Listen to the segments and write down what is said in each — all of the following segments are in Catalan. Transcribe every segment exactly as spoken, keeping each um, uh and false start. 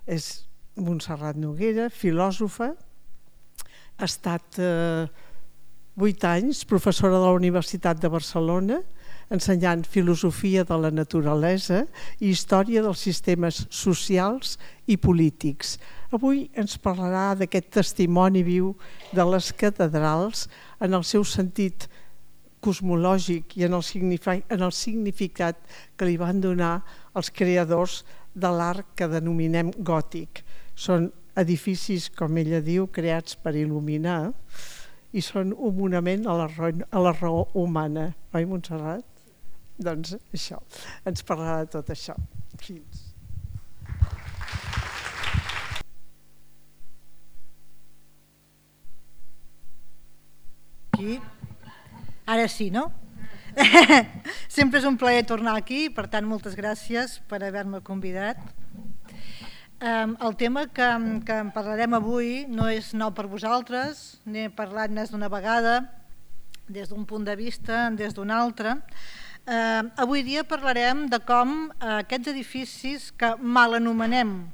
és Montserrat Noguera, filòsofa, ha estat eh, vuit anys professora de la Universitat de Barcelona, ensenyant filosofia de la naturalesa i història dels sistemes socials i polítics. Avui ens parlarà d'aquest testimoni viu de les catedrals en el seu sentit cosmològic i en el significat que li van donar els creadors de l'art que denominem gòtic. Són edificis, com ella diu, creats per il·luminar i són un monument a la raó, a la raó humana. Oi, Montserrat? Doncs això, ens parlarà de tot això. Fins. Aquí. Ara sí, no? Sempre és un plaer tornar aquí, per tant, moltes gràcies per haver-me convidat. El tema que, que en parlarem avui no és nou per vosaltres, n'he parlat més d'una vegada, des d'un punt de vista, des d'un altre. Eh, avui dia parlarem de com eh, aquests edificis que mal anomenem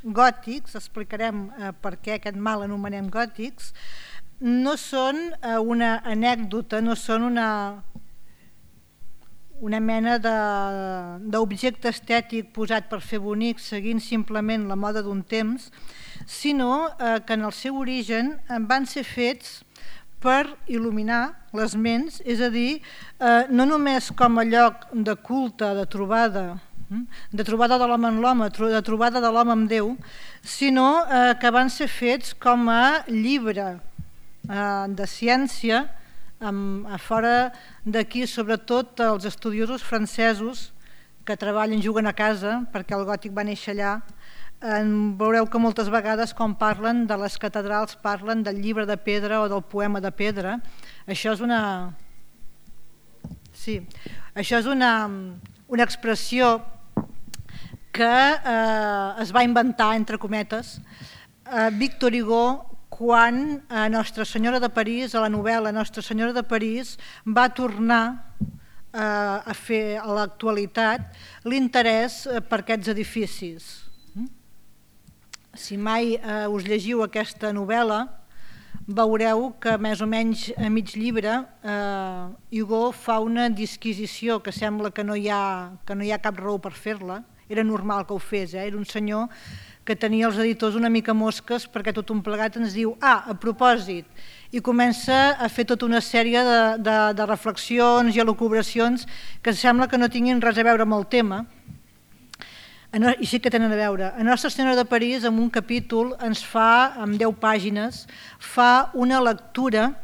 gòtics, explicarem eh, per què aquest mal anomenem gòtics, no són eh, una anècdota, no són una... una mena d'objecte estètic posat per fer bonic seguint simplement la moda d'un temps, sinó eh, que en el seu origen van ser fets per il·luminar les ments, és a dir, eh, no només com a lloc de culte, de trobada, de trobada de l'home amb l'home, de trobada de l'home amb Déu, sinó eh, que van ser fets com a llibre eh, de ciència. A fora d'aquí, sobretot els estudiosos francesos que treballen, juguen a casa, perquè el gòtic va néixer allà, veureu que moltes vegades quan parlen de les catedrals parlen del llibre de pedra o del poema de pedra. Això és una... Sí, això és una, una expressió que eh, es va inventar, entre cometes, eh, Victor Hugo, quan a Nostra Senyora de París, a la novel·la Nostra Senyora de París, va tornar eh, a fer a l'actualitat l'interès per aquests edificis. Si mai eh, us llegiu aquesta novel·la, veureu que més o menys a mig llibre eh, Hugo fa una disquisició que sembla que no hi ha, que no hi ha cap raó per fer-la. Era normal que ho fes, eh? Era un senyor que tenia els editors una mica mosques perquè tot un plegat ens diu ah, a propòsit, i comença a fer tota una sèrie de, de, de reflexions i elucubracions que sembla que no tinguin res a veure amb el tema, i sí que tenen a veure. A Nostra Senyora de París, en un capítol, ens fa, en deu pàgines, fa una lectura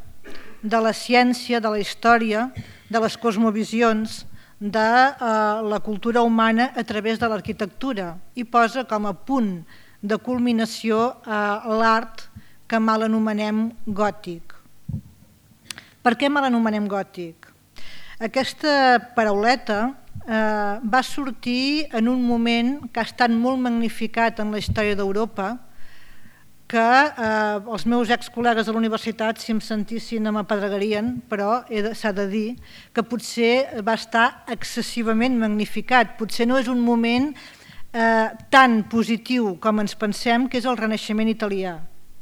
de la ciència, de la història, de les cosmovisions, de eh, la cultura humana a través de l'arquitectura i posa com a punt de culminació eh, l'art que mal anomenem gòtic. Per què mal anomenem gòtic? Aquesta parauleta eh, va sortir en un moment que ha estat molt magnificat en la història d'Europa, que eh, els meus ex-col·legues de la universitat, si em sentissin, m'apedregarien, però s'ha de dir que potser va estar excessivament magnificat. Potser no és un moment eh, tan positiu com ens pensem, que és el Renaixement italià.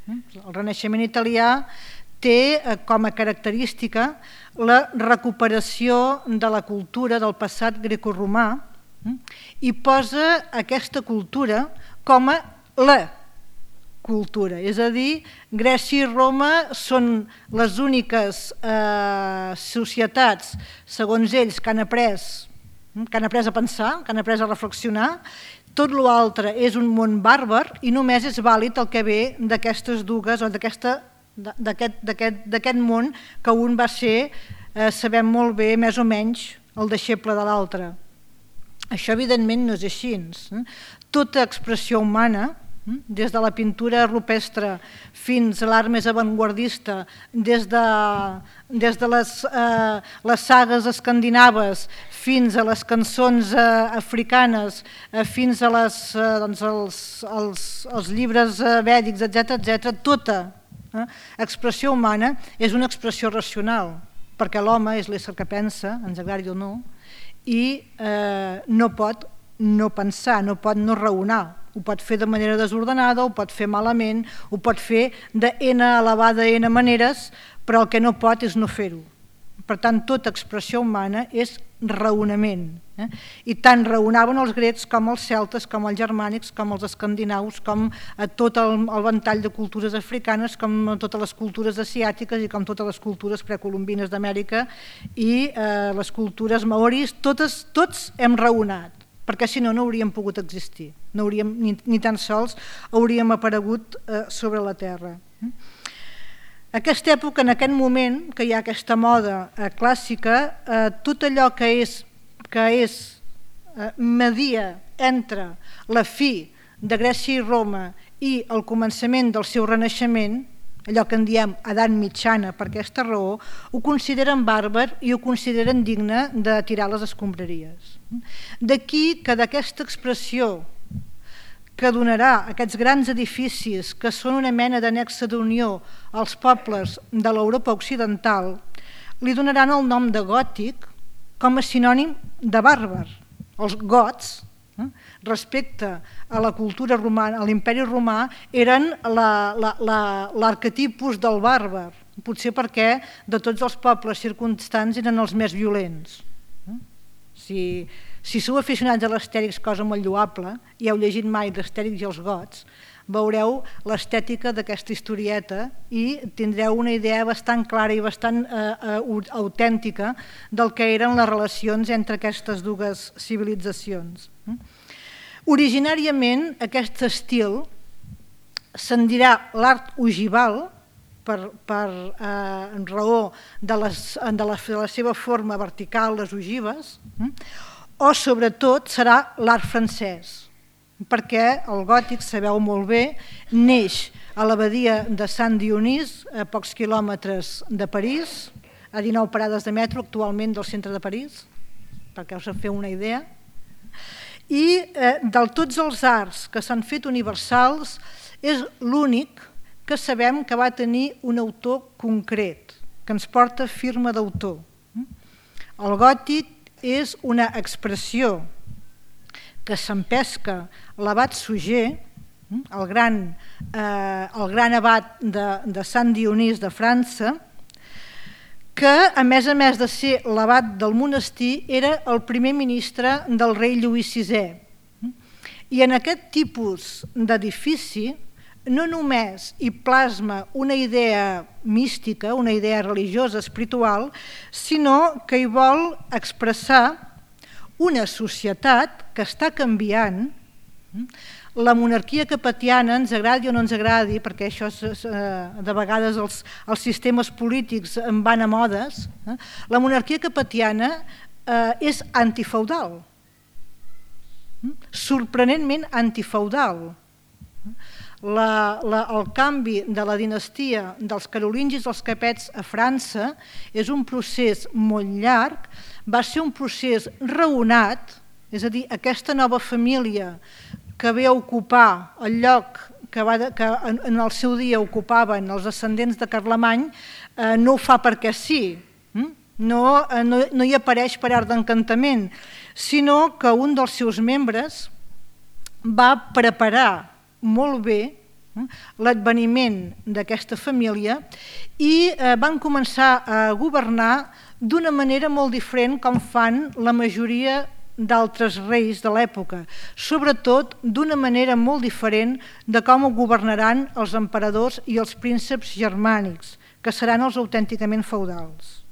El Renaixement italià té eh, com a característica la recuperació de la cultura del passat grecoromà eh, i posa aquesta cultura com a la cultura, és a dir, Grècia i Roma són les úniques eh, societats, segons ells, que han après, que han après a pensar, que han après a reflexionar. Tot l'altre és un món bàrbar i només és vàlid el que ve d'aquestes dues o d'aquest món que un va ser, eh, sabem molt bé, més o menys, el deixeble de l'altre. Això evidentment no és així. Tota expressió humana, des de la pintura rupestre fins a l'art més avantguardista, des de, des de les, eh, les sagues escandinaves fins a les cançons eh, africanes, eh, fins a les, eh, doncs els, els, els llibres eh, vèdics, etcètera, etcètera, tota eh, expressió humana és una expressió racional, perquè l'home és l'ésser que pensa, ens agradi o no, i eh, no pot no pensar, no pot no raonar. Ho pot fer de manera desordenada, ho pot fer malament, ho pot fer de n elevada n maneres, però el que no pot és no fer-ho. Per tant, tota expressió humana és raonament. Eh? I tant raonaven els grecs com els celtes, com els germànics, com els escandinaus, com a tot el, el ventall de cultures africanes, com a totes les cultures asiàtiques i com totes les cultures precolombines d'Amèrica i eh, les cultures maoris, totes, tots hem raonat, perquè si no, no hauríem pogut existir, no hauríem, ni, ni tan sols hauríem aparegut eh, sobre la Terra. Aquesta època, en aquest moment, que hi ha aquesta moda eh, clàssica, eh, tot allò que és, que és eh, media entre la fi de Grècia i Roma i el començament del seu renaixement, allò que en diem edat mitjana per aquesta raó, ho consideren bàrbar i ho consideren digne de tirar les escombraries. D'aquí que d'aquesta expressió que donarà aquests grans edificis que són una mena d'annexa d'unió als pobles de l'Europa occidental, li donaran el nom de gòtic com a sinònim de bàrbar. Els gots, eh, respecte a la cultura romana, a l'imperi romà, eren l'arquetipus del bàrbar, potser perquè de tots els pobles circumstants eren els més violents. Si... Si sou aficionats a l'Astèrix, cosa molt lloable, i heu llegit mai l'Astèrix i els gots, veureu l'estètica d'aquesta historieta i tindreu una idea bastant clara i bastant eh, autèntica del que eren les relacions entre aquestes dues civilitzacions. Originàriament, aquest estil se'n dirà l'art ogival, per, per eh, raó de, les, de, la, de la seva forma vertical, les ogives, o sobretot serà l'art francès, perquè el gòtic, sabeu molt bé, neix a l'abadia de Sant Dionís, a pocs quilòmetres de París, a dinou parades de metro actualment del centre de París, perquè us en feu una idea, i eh, de tots els arts que s'han fet universals és l'únic que sabem que va tenir un autor concret, que ens porta firma d'autor. El gòtic és una expressió que s'empesca l'abat Suger, el gran, eh, el gran abat de, de Sant Dionís de França, que a més a més de ser l'abat del monestir era el primer ministre del rei Lluís sisè. I en aquest tipus d'edifici no només hi plasma una idea mística, una idea religiosa, espiritual, sinó que hi vol expressar una societat que està canviant. La monarquia capetiana, ens agradi o no ens agradi, perquè això és, de vegades els, els sistemes polítics en van a modes, la monarquia capetiana eh, és antifeudal, sorprenentment antifeudal. La, la, el canvi de la dinastia dels carolingis als capets a França és un procés molt llarg, va ser un procés raonat, és a dir, aquesta nova família que ve a ocupar el lloc que, va de, que en, en el seu dia ocupaven els ascendents de Carlemany, eh, no ho fa perquè sí, no, no, no hi apareix per art d'encantament, sinó que un dels seus membres va preparar molt bé l'adveniment d'aquesta família i van començar a governar d'una manera molt diferent com fan la majoria d'altres reis de l'època, sobretot d'una manera molt diferent de com ho governaran els emperadors i els prínceps germànics, que seran els autènticament feudals.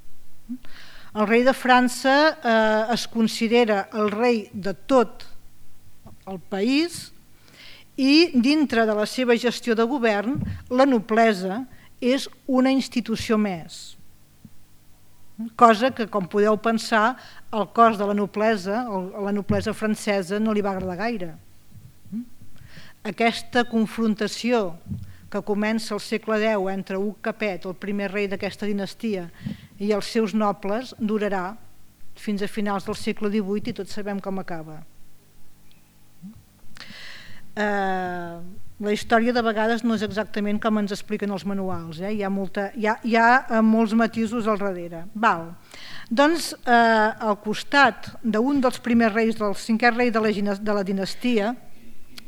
El rei de França eh, es considera el rei de tot el país i dintre de la seva gestió de govern la noblesa és una institució més, cosa que, com podeu pensar, el cos de la noblesa, la noblesa francesa, no li va agradar gaire. Aquesta confrontació que comença al segle deu entre Hug Capet, el primer rei d'aquesta dinastia, i els seus nobles durarà fins a finals del segle divuit i tots sabem com acaba. Eh, la història de vegades no és exactament com ens expliquen els manuals, eh? hi ha, molta, hi ha, hi ha molts matisos al darrere. Val. Doncs al costat d'un dels primers reis, del cinquè rei de la dinastia,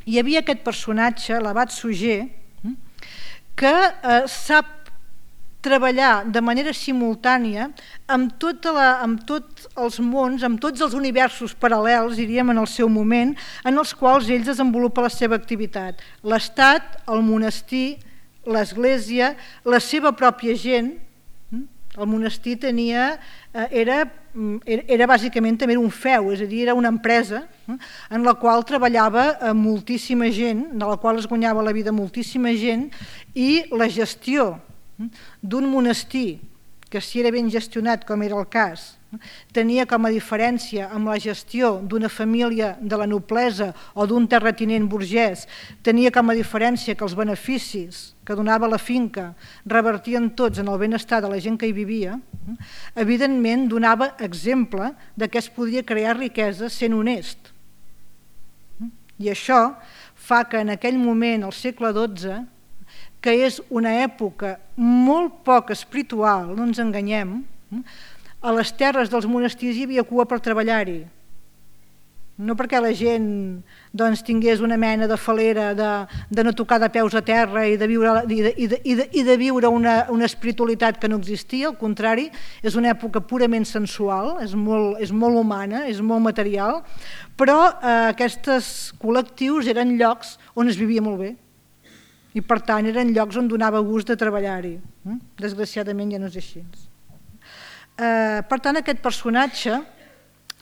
hi havia aquest personatge, l'abat Suger, que sap treballar de manera simultània amb tots els mons, amb tots els universos paral·lels, diríem, en el seu moment, en els quals ell desenvolupa la seva activitat. L'estat, el monestir, l'església, la seva pròpia gent. El monestir tenia, era, era bàsicament també un feu, és a dir, era una empresa en la qual treballava moltíssima gent, de la qual es guanyava la vida moltíssima gent, i la gestió d'un monestir, que si era ben gestionat, com era el cas, tenia com a diferència amb la gestió d'una família de la noblesa o d'un terratinent burgès, tenia com a diferència que els beneficis que donava la finca revertien tots en el benestar de la gent que hi vivia, evidentment donava exemple de que es podia crear riquesa sent honest. I això fa que en aquell moment, al segle dotze, que és una època molt poc espiritual, no ens enganyem, a les terres dels monestirs hi havia cua per treballar-hi. No perquè la gent doncs, tingués una mena de falera de, de no tocar de peus a terra i de viure, i de, i de, i de, i de viure una, una espiritualitat que no existia, al contrari, és una època purament sensual, és molt, és molt humana, és molt material, però eh, aquests col·lectius eren llocs on es vivia molt bé. I per tant eren llocs on donava gust de treballar-hi. Desgraciadament ja no és així. Per tant, aquest personatge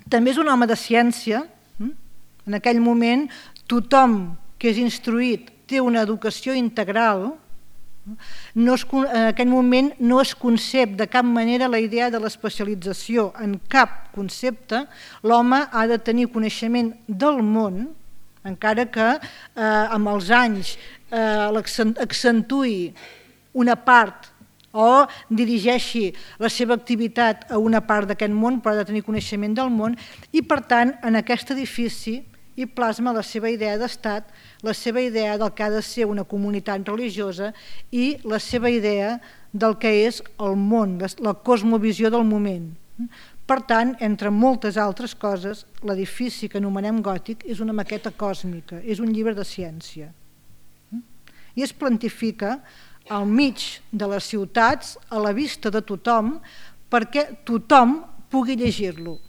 també és un home de ciència. En aquell moment tothom que és instruït té una educació integral. En aquell moment no es concep de cap manera la idea de l'especialització en cap concepte. L'home ha de tenir coneixement del món, encara que amb els anys accentui una part o dirigeixi la seva activitat a una part d'aquest món, però ha de tenir coneixement del món, i per tant en aquest edifici hi plasma la seva idea d'estat, la seva idea del que ha de ser una comunitat religiosa i la seva idea del que és el món, la cosmovisió del moment. Per tant, entre moltes altres coses, l'edifici que anomenem gòtic és una maqueta còsmica, és un llibre de ciència. I es plantifica al mig de les ciutats, a la vista de tothom, perquè tothom pugui llegir-lo.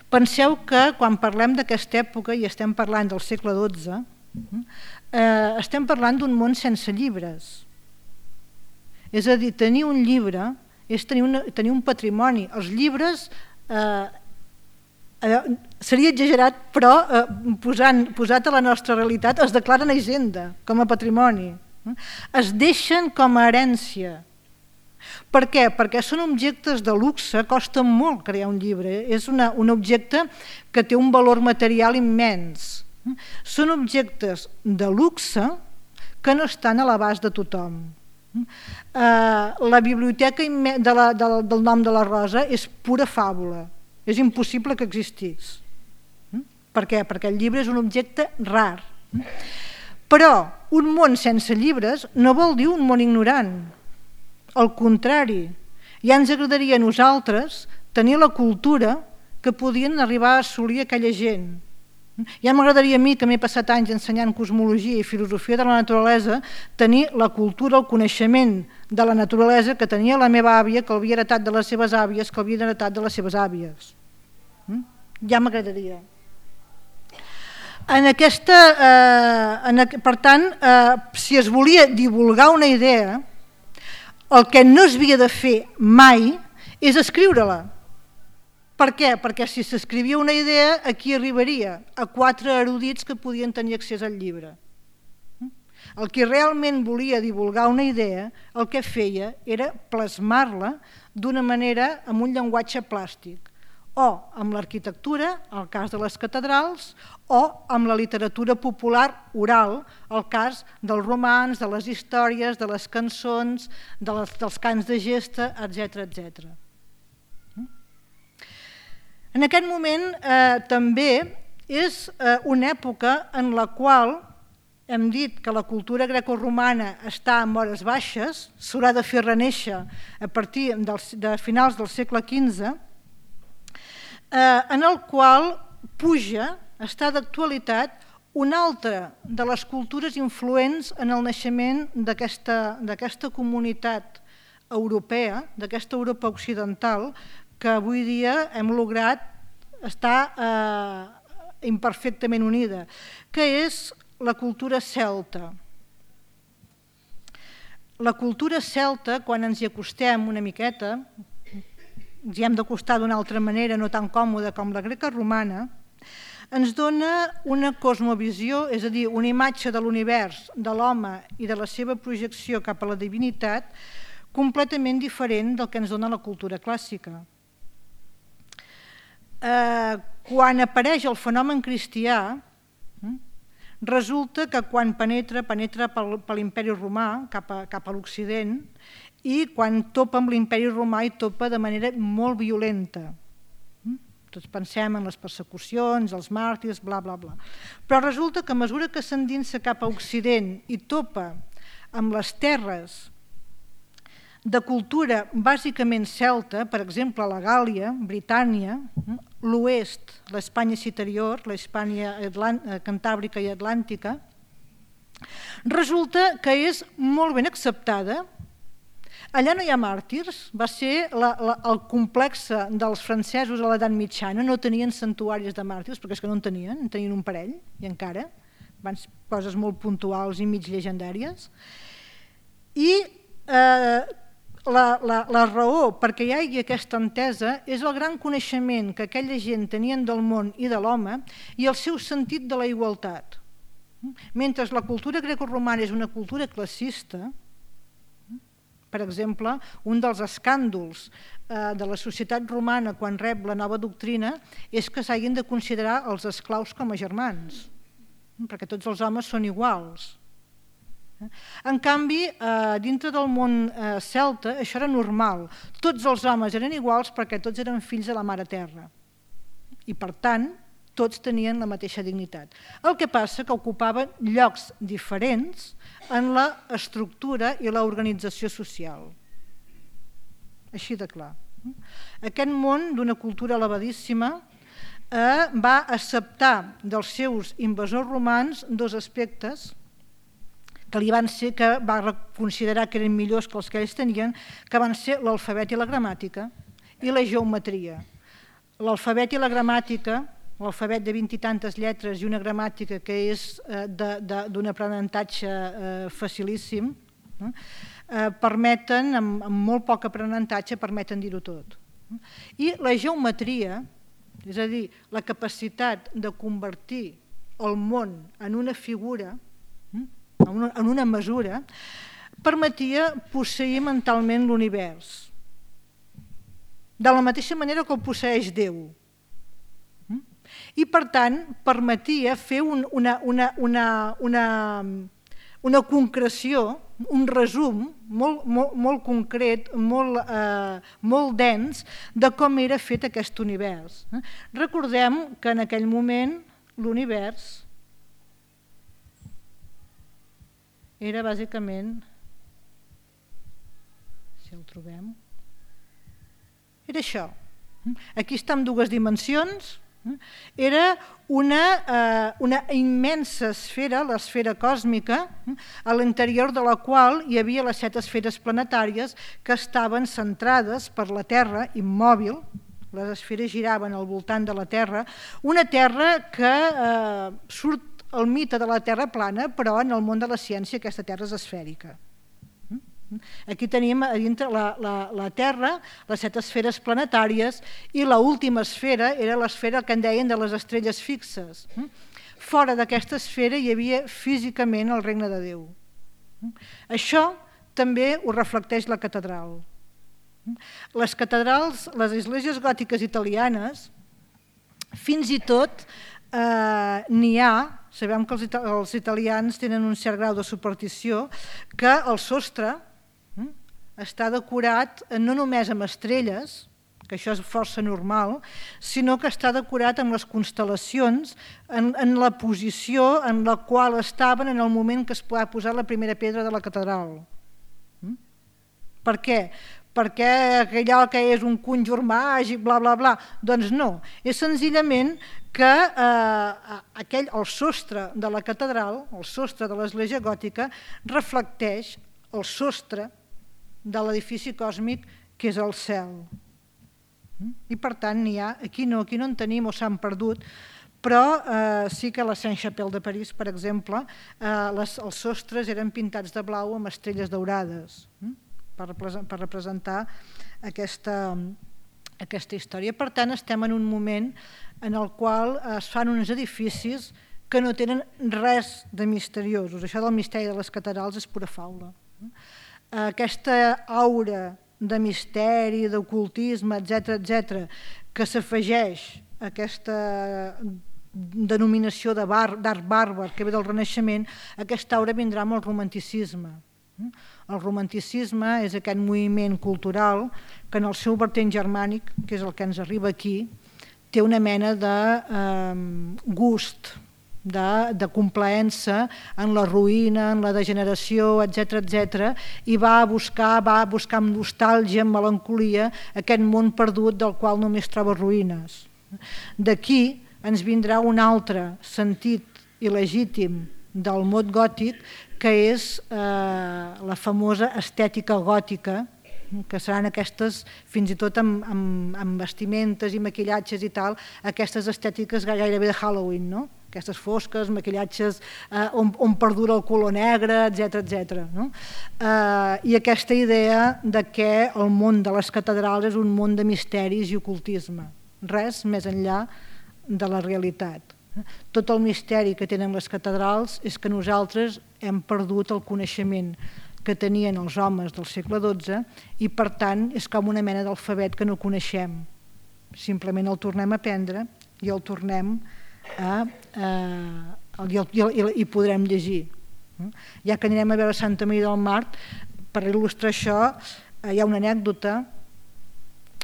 Penseu que quan parlem d'aquesta època, i estem parlant del segle dotze, eh, estem parlant d'un món sense llibres. És a dir, tenir un llibre és tenir, una, tenir un patrimoni. Els llibres, eh, eh, seria exagerat, però eh, posant, posat a la nostra realitat, es declaren a hisenda com a patrimoni. Es deixen com a herència. Per què? Perquè són objectes de luxe, costa molt crear un llibre, és una, un objecte que té un valor material immens. Són objectes de luxe que no estan a l'abast de tothom. La biblioteca de la, de, del nom de la Rosa és pura fàbula, és impossible que existís. Per què? Perquè el llibre és un objecte rar. Però un món sense llibres no vol dir un món ignorant. Al contrari, ja ens agradaria a nosaltres tenir la cultura que podien arribar a assolir aquella gent. Ja m'agradaria a mi, que m'he passat anys ensenyant cosmologia i filosofia de la naturalesa, tenir la cultura, el coneixement de la naturalesa que tenia la meva àvia, que l'havia heretat de les seves àvies, que l'havia heretat de les seves àvies. Ja m'agradaria. En aquesta, eh, en, per tant, eh, si es volia divulgar una idea, el que no es havia de fer mai és escriure-la. Per què? Perquè si s'escrivia una idea, a qui arribaria? A quatre erudits que podien tenir accés al llibre. El que realment volia divulgar una idea, el que feia era plasmar-la d'una manera amb un llenguatge plàstic, o amb l'arquitectura, el cas de les catedrals, o amb la literatura popular oral, el cas dels romans, de les històries, de les cançons, de les, dels cants de gesta, etcètera, etcètera. En aquest moment eh, també és eh, una època en la qual hem dit que la cultura grecorromana està en hores baixes, s'haurà de fer renéixer a partir de finals del segle quinze, en el qual puja, està d'actualitat, una altra de les cultures influents en el naixement d'aquesta comunitat europea, d'aquesta Europa occidental, que avui dia hem lograt estar imperfectament unida, que és la cultura celta. La cultura celta, quan ens hi acostem una miqueta, ens hi hem d'acostar d'una altra manera, no tan còmoda com la greca romana, ens dona una cosmovisió, és a dir, una imatge de l'univers, de l'home i de la seva projecció cap a la divinitat, completament diferent del que ens dona la cultura clàssica. Quan apareix el fenomen cristià, resulta que quan penetra, penetra per l'imperi romà cap a l'Occident, i quan topa amb l'imperi romà hi topa de manera molt violenta. Tots pensem en les persecucions, els màrtirs, bla, bla, bla. Però resulta que a mesura que s'endinsa cap a Occident i topa amb les terres de cultura bàsicament celta, per exemple, la Gàl·lia, Britània, l'oest, l'Espanya citerior, l'Espanya cantàbrica i atlàntica, resulta que és molt ben acceptada. Allà no hi ha màrtirs, va ser el complex dels francesos a l'edat mitjana, no tenien santuaris de màrtirs, perquè és que no en tenien, en tenien un parell, i encara, van ser coses molt puntuals i mig llegendàries. I la raó perquè hi hagi aquesta entesa és el gran coneixement que aquella gent tenien del món i de l'home i el seu sentit de la igualtat. Mentre la cultura grecoromana és una cultura classista, per exemple, un dels escàndols de la societat romana quan rep la nova doctrina és que s'hagin de considerar els esclaus com a germans, perquè tots els homes són iguals. En canvi, dintre del món celta això era normal. Tots els homes eren iguals perquè tots eren fills de la Mare Terra. I per tant, tots tenien la mateixa dignitat. El que passa que ocupaven llocs diferents en l'estructura i l'organització social. Així de clar. Aquest món d'una cultura elevadíssima va acceptar dels seus invasors romans dos aspectes que li van ser, que va considerar que eren millors que els que ells tenien, que van ser l'alfabet i la gramàtica i la geometria. L'alfabet i la gramàtica, l'alfabet de vint i tantes lletres i una gramàtica que és d'un aprenentatge facilíssim, permeten, amb molt poc aprenentatge, permeten dir-ho tot. I la geometria, és a dir, la capacitat de convertir el món en una figura, en una mesura, permetia posseir mentalment l'univers, de la mateixa manera que el posseeix Déu. I per tant permetia fer una concreció, un resum molt concret, molt dens de com era fet aquest univers. Recordem que en aquell moment l'univers era bàsicament, si el trobem, era això. Aquí està en dues dimensions. Era una immensa esfera, l'esfera còsmica, a l'interior de la qual hi havia les set esferes planetàries que estaven centrades per la Terra, immòbil, les esferes giraven al voltant de la Terra, una Terra que surt el mite de la Terra plana, però en el món de la ciència aquesta Terra és esfèrica. Aquí tenim a dintre la Terra, les set esferes planetàries, i l'última esfera era l'esfera que en deien de les estrelles fixes. Fora d'aquesta esfera hi havia físicament el regne de Déu. Això també ho reflecteix la catedral. Les catedrals, les esglésies gòtiques italianes, fins i tot n'hi ha, sabem que els italians tenen un cert grau de superstició, que el sostre està decorat no només amb estrelles, que això és força normal, sinó que està decorat amb les constel·lacions en, en la posició en la qual estaven en el moment que es va posar la primera pedra de la catedral. Mm? Per què? Perquè allò que és un conjur màgic, bla, bla, bla. Doncs no, és senzillament que eh, aquell, el sostre de la catedral, el sostre de l'església gòtica, reflecteix el sostre de l'edifici còsmic que és el cel. I per tant, n'hi ha, aquí no, aquí no en tenim o s'han perdut, però eh, sí que a la Sainte-Chapelle de París, per exemple, eh, les, els sostres eren pintats de blau amb estrelles daurades, eh, per, per representar aquesta, aquesta història. Per tant, estem en un moment en el qual es fan uns edificis que no tenen res de misteriosos. Això del misteri de les catedrals és pura faula. Aquesta aura de misteri, d'ocultisme, etcètera, etcètera, que s'afegeix a aquesta denominació d'art bàrbar que ve del Renaixement, aquesta aura vindrà amb el romanticisme. El romanticisme és aquest moviment cultural que en el seu vertent germànic, que és el que ens arriba aquí, té una mena de eh, gust, de, de complaença en la ruïna, en la degeneració, etcètera, etcètera, i va a buscar, va a buscar amb nostàlgia, amb melancolia, aquest món perdut del qual només troba ruïnes. D'aquí ens vindrà un altre sentit il·legítim del mot gòtic, que és eh, la famosa estètica gòtica, que seran aquestes, fins i tot amb, amb, amb vestimentes i maquillatges i tal, aquestes estètiques gairebé de Halloween, no? Aquestes fosques, maquillatges eh, on, on perdura el color negre, etcètera, etcètera. No? Eh, I aquesta idea de que el món de les catedrals és un món de misteris i ocultisme, res més enllà de la realitat. Tot el misteri que tenen les catedrals és que nosaltres hem perdut el coneixement que tenien els homes del segle dotze i per tant és com una mena d'alfabet que no coneixem. Simplement el tornem a aprendre i el tornem a, a, i, el, i, i podrem llegir. Ja que anirem a veure Santa Maria del Mar, per il·lustrar això hi ha una anècdota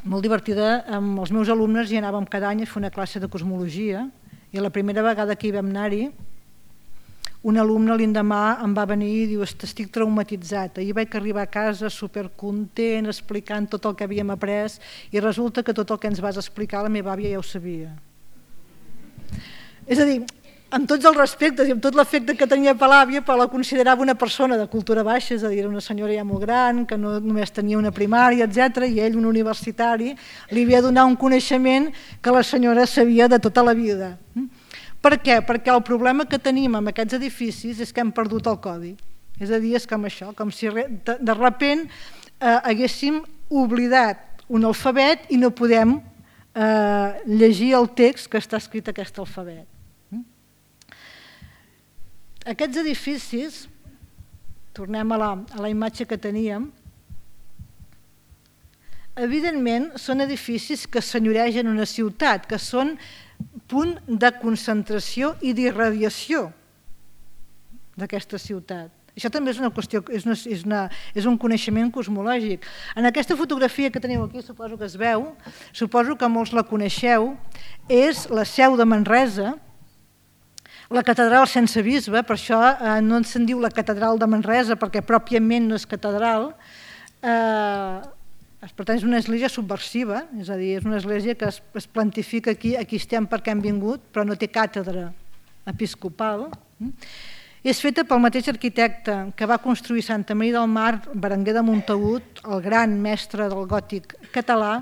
molt divertida. Amb els meus alumnes hi anàvem cada any a fer una classe de cosmologia i la primera vegada que hi vam anar-hi un alumne l'endemà em va venir i diu: estic traumatitzat, ahir vaig arribar a casa supercontent explicant tot el que havíem après i resulta que tot el que ens vas explicar la meva àvia ja ho sabia. És a dir, amb tots els respectes i amb tot l'efecte que tenia per l'àvia, però la considerava una persona de cultura baixa, és a dir, era una senyora ja molt gran, que no només tenia una primària, etcètera, i ell, un universitari, li havia de donar un coneixement que la senyora sabia de tota la vida. Per què? Perquè el problema que tenim amb aquests edificis és que hem perdut el codi. És a dir, és com això, com si de, de repent eh, haguéssim oblidat un alfabet i no podem eh, llegir el text que està escrit a aquest alfabet. Aquests edificis, tornem a la, a la imatge que teníem, evidentment són edificis que senyoregen una ciutat, que són punt de concentració i d'irradiació d'aquesta ciutat. Això també és una qüestió, és, una, és, una, és un coneixement cosmològic. En aquesta fotografia que teniu aquí, suposo que es veu, suposo que molts la coneixeu, és la seu de Manresa, la catedral sense bisbe, per això eh, no se'n diu la catedral de Manresa, perquè pròpiament no és catedral. Eh, Per tant, és una església subversiva, és a dir, és una església que es, es plantifica aquí, aquí estem perquè hem vingut, però no té càtedra episcopal. És feta pel mateix arquitecte que va construir Santa Maria del Mar, Berenguer de Montagut, el gran mestre del gòtic català,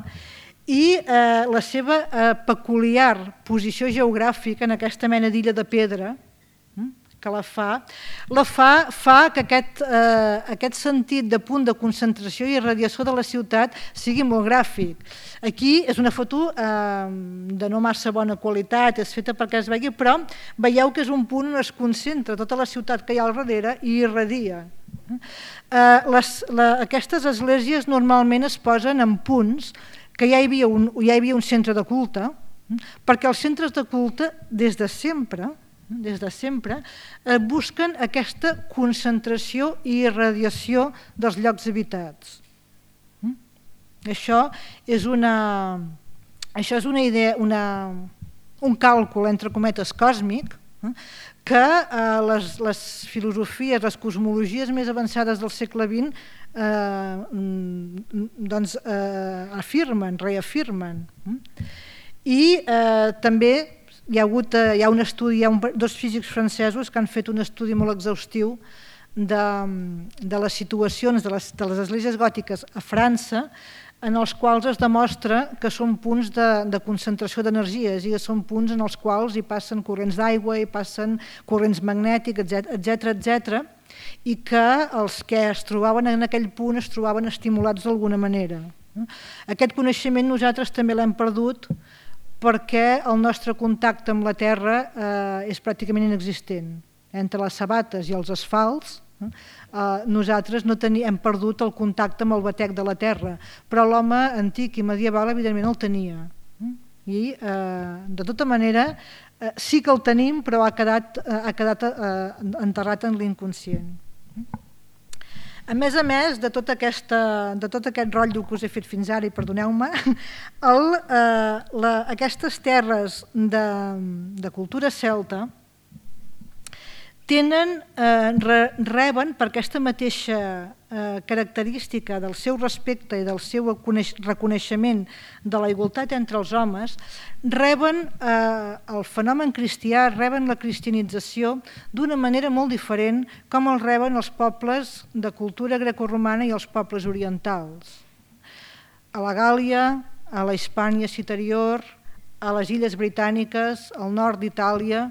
i eh, la seva eh, peculiar posició geogràfica en aquesta mena d'illa de pedra, que la fa, la fa, fa que aquest, eh, aquest sentit de punt de concentració i irradiació de la ciutat sigui molt gràfic. Aquí és una foto eh, de no massa bona qualitat, és feta perquè es vegi, però veieu que és un punt on es concentra tota la ciutat que hi ha al darrere i irradia. Eh, les, la, aquestes esglésies normalment es posen en punts que ja hi havia un, ja hi havia un centre de culte, perquè els centres de culte des de sempre des de sempre, eh, busquen aquesta concentració i irradiació dels llocs habitats. Això és una, això és una idea, una, un càlcul entre cometes còsmic, eh, que eh, les, les filosofies, les cosmologies més avançades del segle vint eh, doncs, eh, afirmen, reafirmen. I eh, també hi ha, hagut, hi ha un estudi, hi ha un, dos físics francesos que han fet un estudi molt exhaustiu de, de les situacions de les, de les esglésies gòtiques a França, en els quals es demostra que són punts de, de concentració d'energies i que són punts en els quals hi passen corrents d'aigua, hi passen corrents magnètics, etcètera, etcètera, i que els que es trobaven en aquell punt es trobaven estimulats d'alguna manera. Aquest coneixement nosaltres també l'hem perdut perquè el nostre contacte amb la Terra eh, és pràcticament inexistent. Entre les sabates i els asfalts, eh, nosaltres no teni, hem perdut el contacte amb el batec de la Terra, però l'home antic i medieval evidentment el tenia. I eh, de tota manera eh, sí que el tenim, però ha quedat, eh, ha quedat eh, enterrat en l'inconscient. A més a més de tot, aquesta, de tot aquest rotllo que us he fet fins ara, i perdoneu-me, eh, aquestes terres de, de cultura celta tenen, eh, re, reben per aquesta mateixa eh, característica del seu respecte i del seu reconeixement de la igualtat entre els homes, reben eh, el fenomen cristià, reben la cristianització d'una manera molt diferent com el reben els pobles de cultura grecorromana i els pobles orientals. A la Gàl·lia, a la Hispània Citerior, a les Illes Britàniques, al nord d'Itàlia,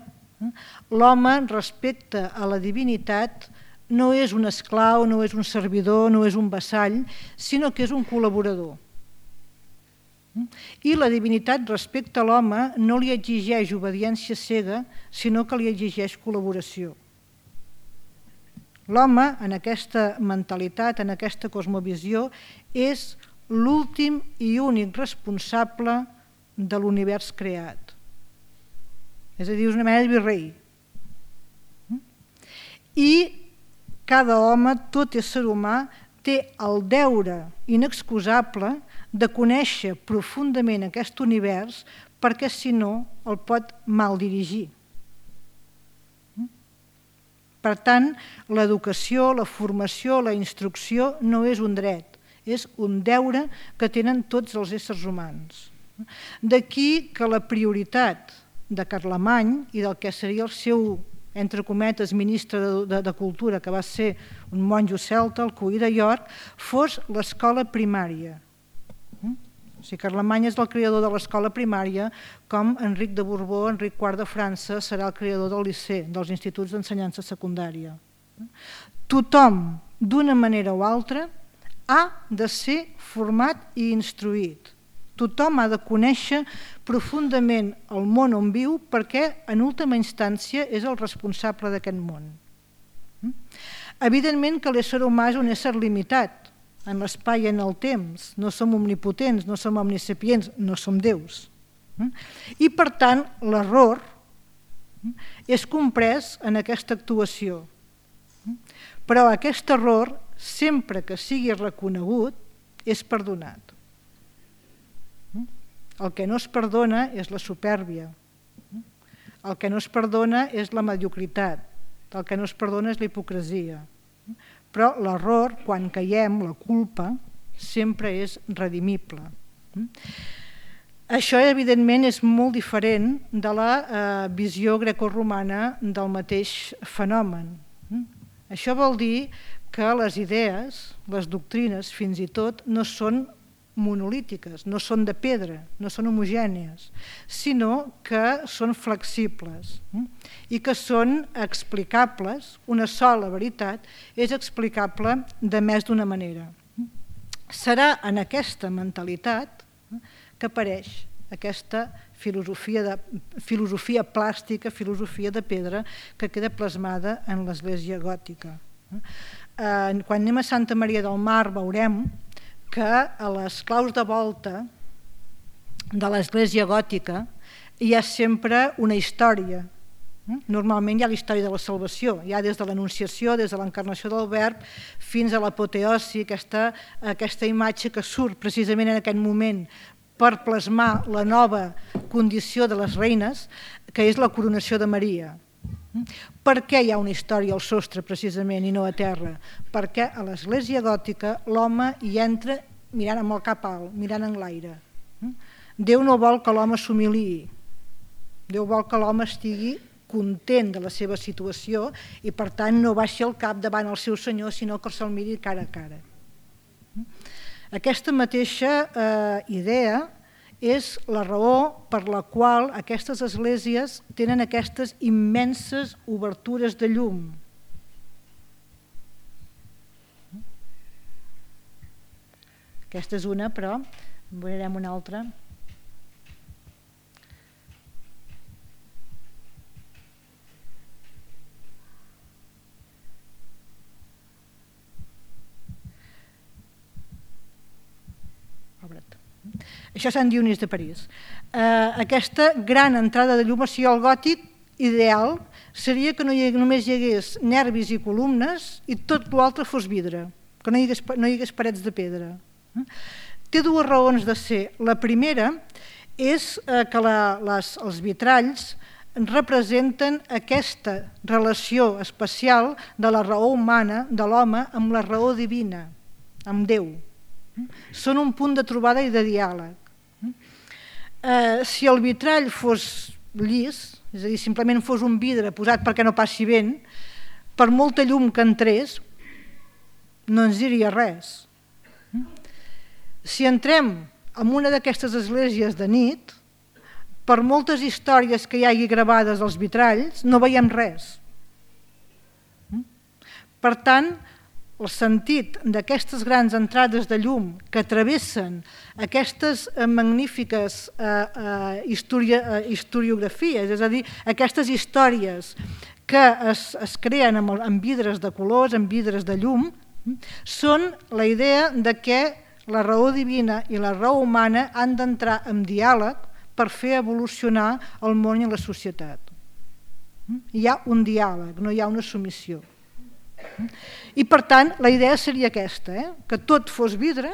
l'home respecte a la divinitat no és un esclau, no és un servidor, no és un vassall, sinó que és un col·laborador. I la divinitat respecte a l'home no li exigeix obediència cega, sinó que li exigeix col·laboració. L'home, en aquesta mentalitat, en aquesta cosmovisió, és l'últim i únic responsable de l'univers creat. És a dir, és una mena de virrei. I cada home, tot ésser humà, té el deure inexcusable de conèixer profundament aquest univers perquè, si no, el pot mal dirigir. Per tant, l'educació, la formació, la instrucció no és un dret, és un deure que tenen tots els éssers humans. D'aquí que la prioritat de Carlemany i del que seria el seu, entre cometes, ministre de, de, de Cultura, que va ser un monjo celta, el Cuí de York, fos l'escola primària. O sigui, Carlemany és el creador de l'escola primària, com Enric de Borbó, Enric quart de França, serà el creador del liceu, dels instituts d'ensenyança secundària. Tothom, d'una manera o altra, ha de ser format i instruït. Tothom ha de conèixer profundament el món on viu perquè, en última instància, és el responsable d'aquest món. Evidentment que l'ésser humà és un ésser limitat en l'espai i en el temps. No som omnipotents, no som omnisapients, no som déus. I, per tant, l'error és comprès en aquesta actuació. Però aquest error, sempre que sigui reconegut, és perdonat. El que no es perdona és la supèrbia. El que no es perdona és la mediocritat. El que no es perdona és la hipocresia. Però l'error, quan caiem, la culpa, sempre és redimible. Això, evidentment, és molt diferent de la visió grecorromana del mateix fenomen. Això vol dir que les idees, les doctrines, fins i tot, no són monolítiques, no són de pedra, no són homogènies, sinó que són flexibles i que són explicables. Una sola veritat és explicable de més d'una manera. Serà en aquesta mentalitat que apareix aquesta filosofia, de, filosofia plàstica, filosofia de pedra, que queda plasmada en l'Església gòtica. Quan anem a Santa Maria del Mar veurem que a les claus de volta de l'Església gòtica hi ha sempre una història Normalment hi ha la història de la salvació, ja des de l'Anunciació, des de l'encarnació del Verb, fins a l'apoteosi, aquesta, aquesta imatge que surt precisament en aquest moment per plasmar la nova condició de les reines, que és la coronació de Maria. Per què hi ha una història al sostre, precisament, i no a terra? Perquè a l'església gòtica l'home hi entra mirant amb el cap alt, mirant en l'aire. Déu no vol que l'home s'humiliï, Déu vol que l'home estigui content de la seva situació i per tant no baixi el cap davant el seu senyor, sinó que se'l miri cara a cara. Aquesta mateixa eh, idea és la raó per la qual aquestes esglésies tenen aquestes immenses obertures de llum. Aquesta és una, però en veurem una altra. Això és Sant Dionís de París. Aquesta gran entrada de llum, o sigui, el gòtic ideal seria que no hi hagués, només hi hagués nervis i columnes i tot l'altre fos vidre, que no hi hagués, no hi hagués parets de pedra. Té dues raons de ser. La primera és que la, les, els vitralls representen aquesta relació especial de la raó humana, de l'home, amb la raó divina, amb Déu. Són un punt de trobada i de diàleg. Eh, si el vitrall fos llis, és a dir, simplement fos un vidre posat perquè no passi vent, per molta llum que entrés, no ens diria res. Si entrem en una d'aquestes esglésies de nit, per moltes històries que hi hagi gravades als vitralls, no veiem res. Per tant, el sentit d'aquestes grans entrades de llum que travessen aquestes magnífiques eh, eh, historia, eh, historiografies, és a dir, aquestes històries que es, es creen amb, amb vidres de colors, amb vidres de llum, són la idea de que la raó divina i la raó humana han d'entrar en diàleg per fer evolucionar el món i la societat. Hi ha un diàleg, no hi ha una submissió. I per tant la idea seria aquesta, eh? Que tot fos vidre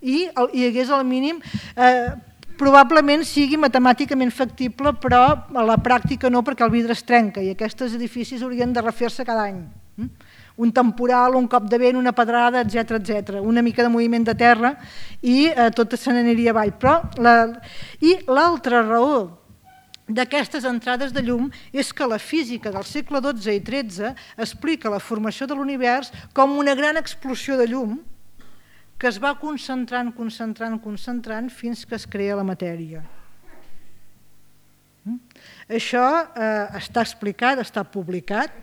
i hi hagués al mínim, eh, probablement sigui matemàticament factible, però a la pràctica no, perquè el vidre es trenca i aquests edificis haurien de refer-se cada any. Un temporal, un cop de vent, una pedrada, etcètera, etcètera, una mica de moviment de terra i eh, tot se n'aniria avall. Però la... I l'altra raó d'aquestes entrades de llum és que la física del segle dotze i tretze explica la formació de l'univers com una gran explosió de llum que es va concentrant, concentrant, concentrant fins que es crea la matèria. Això eh, està explicat, està publicat,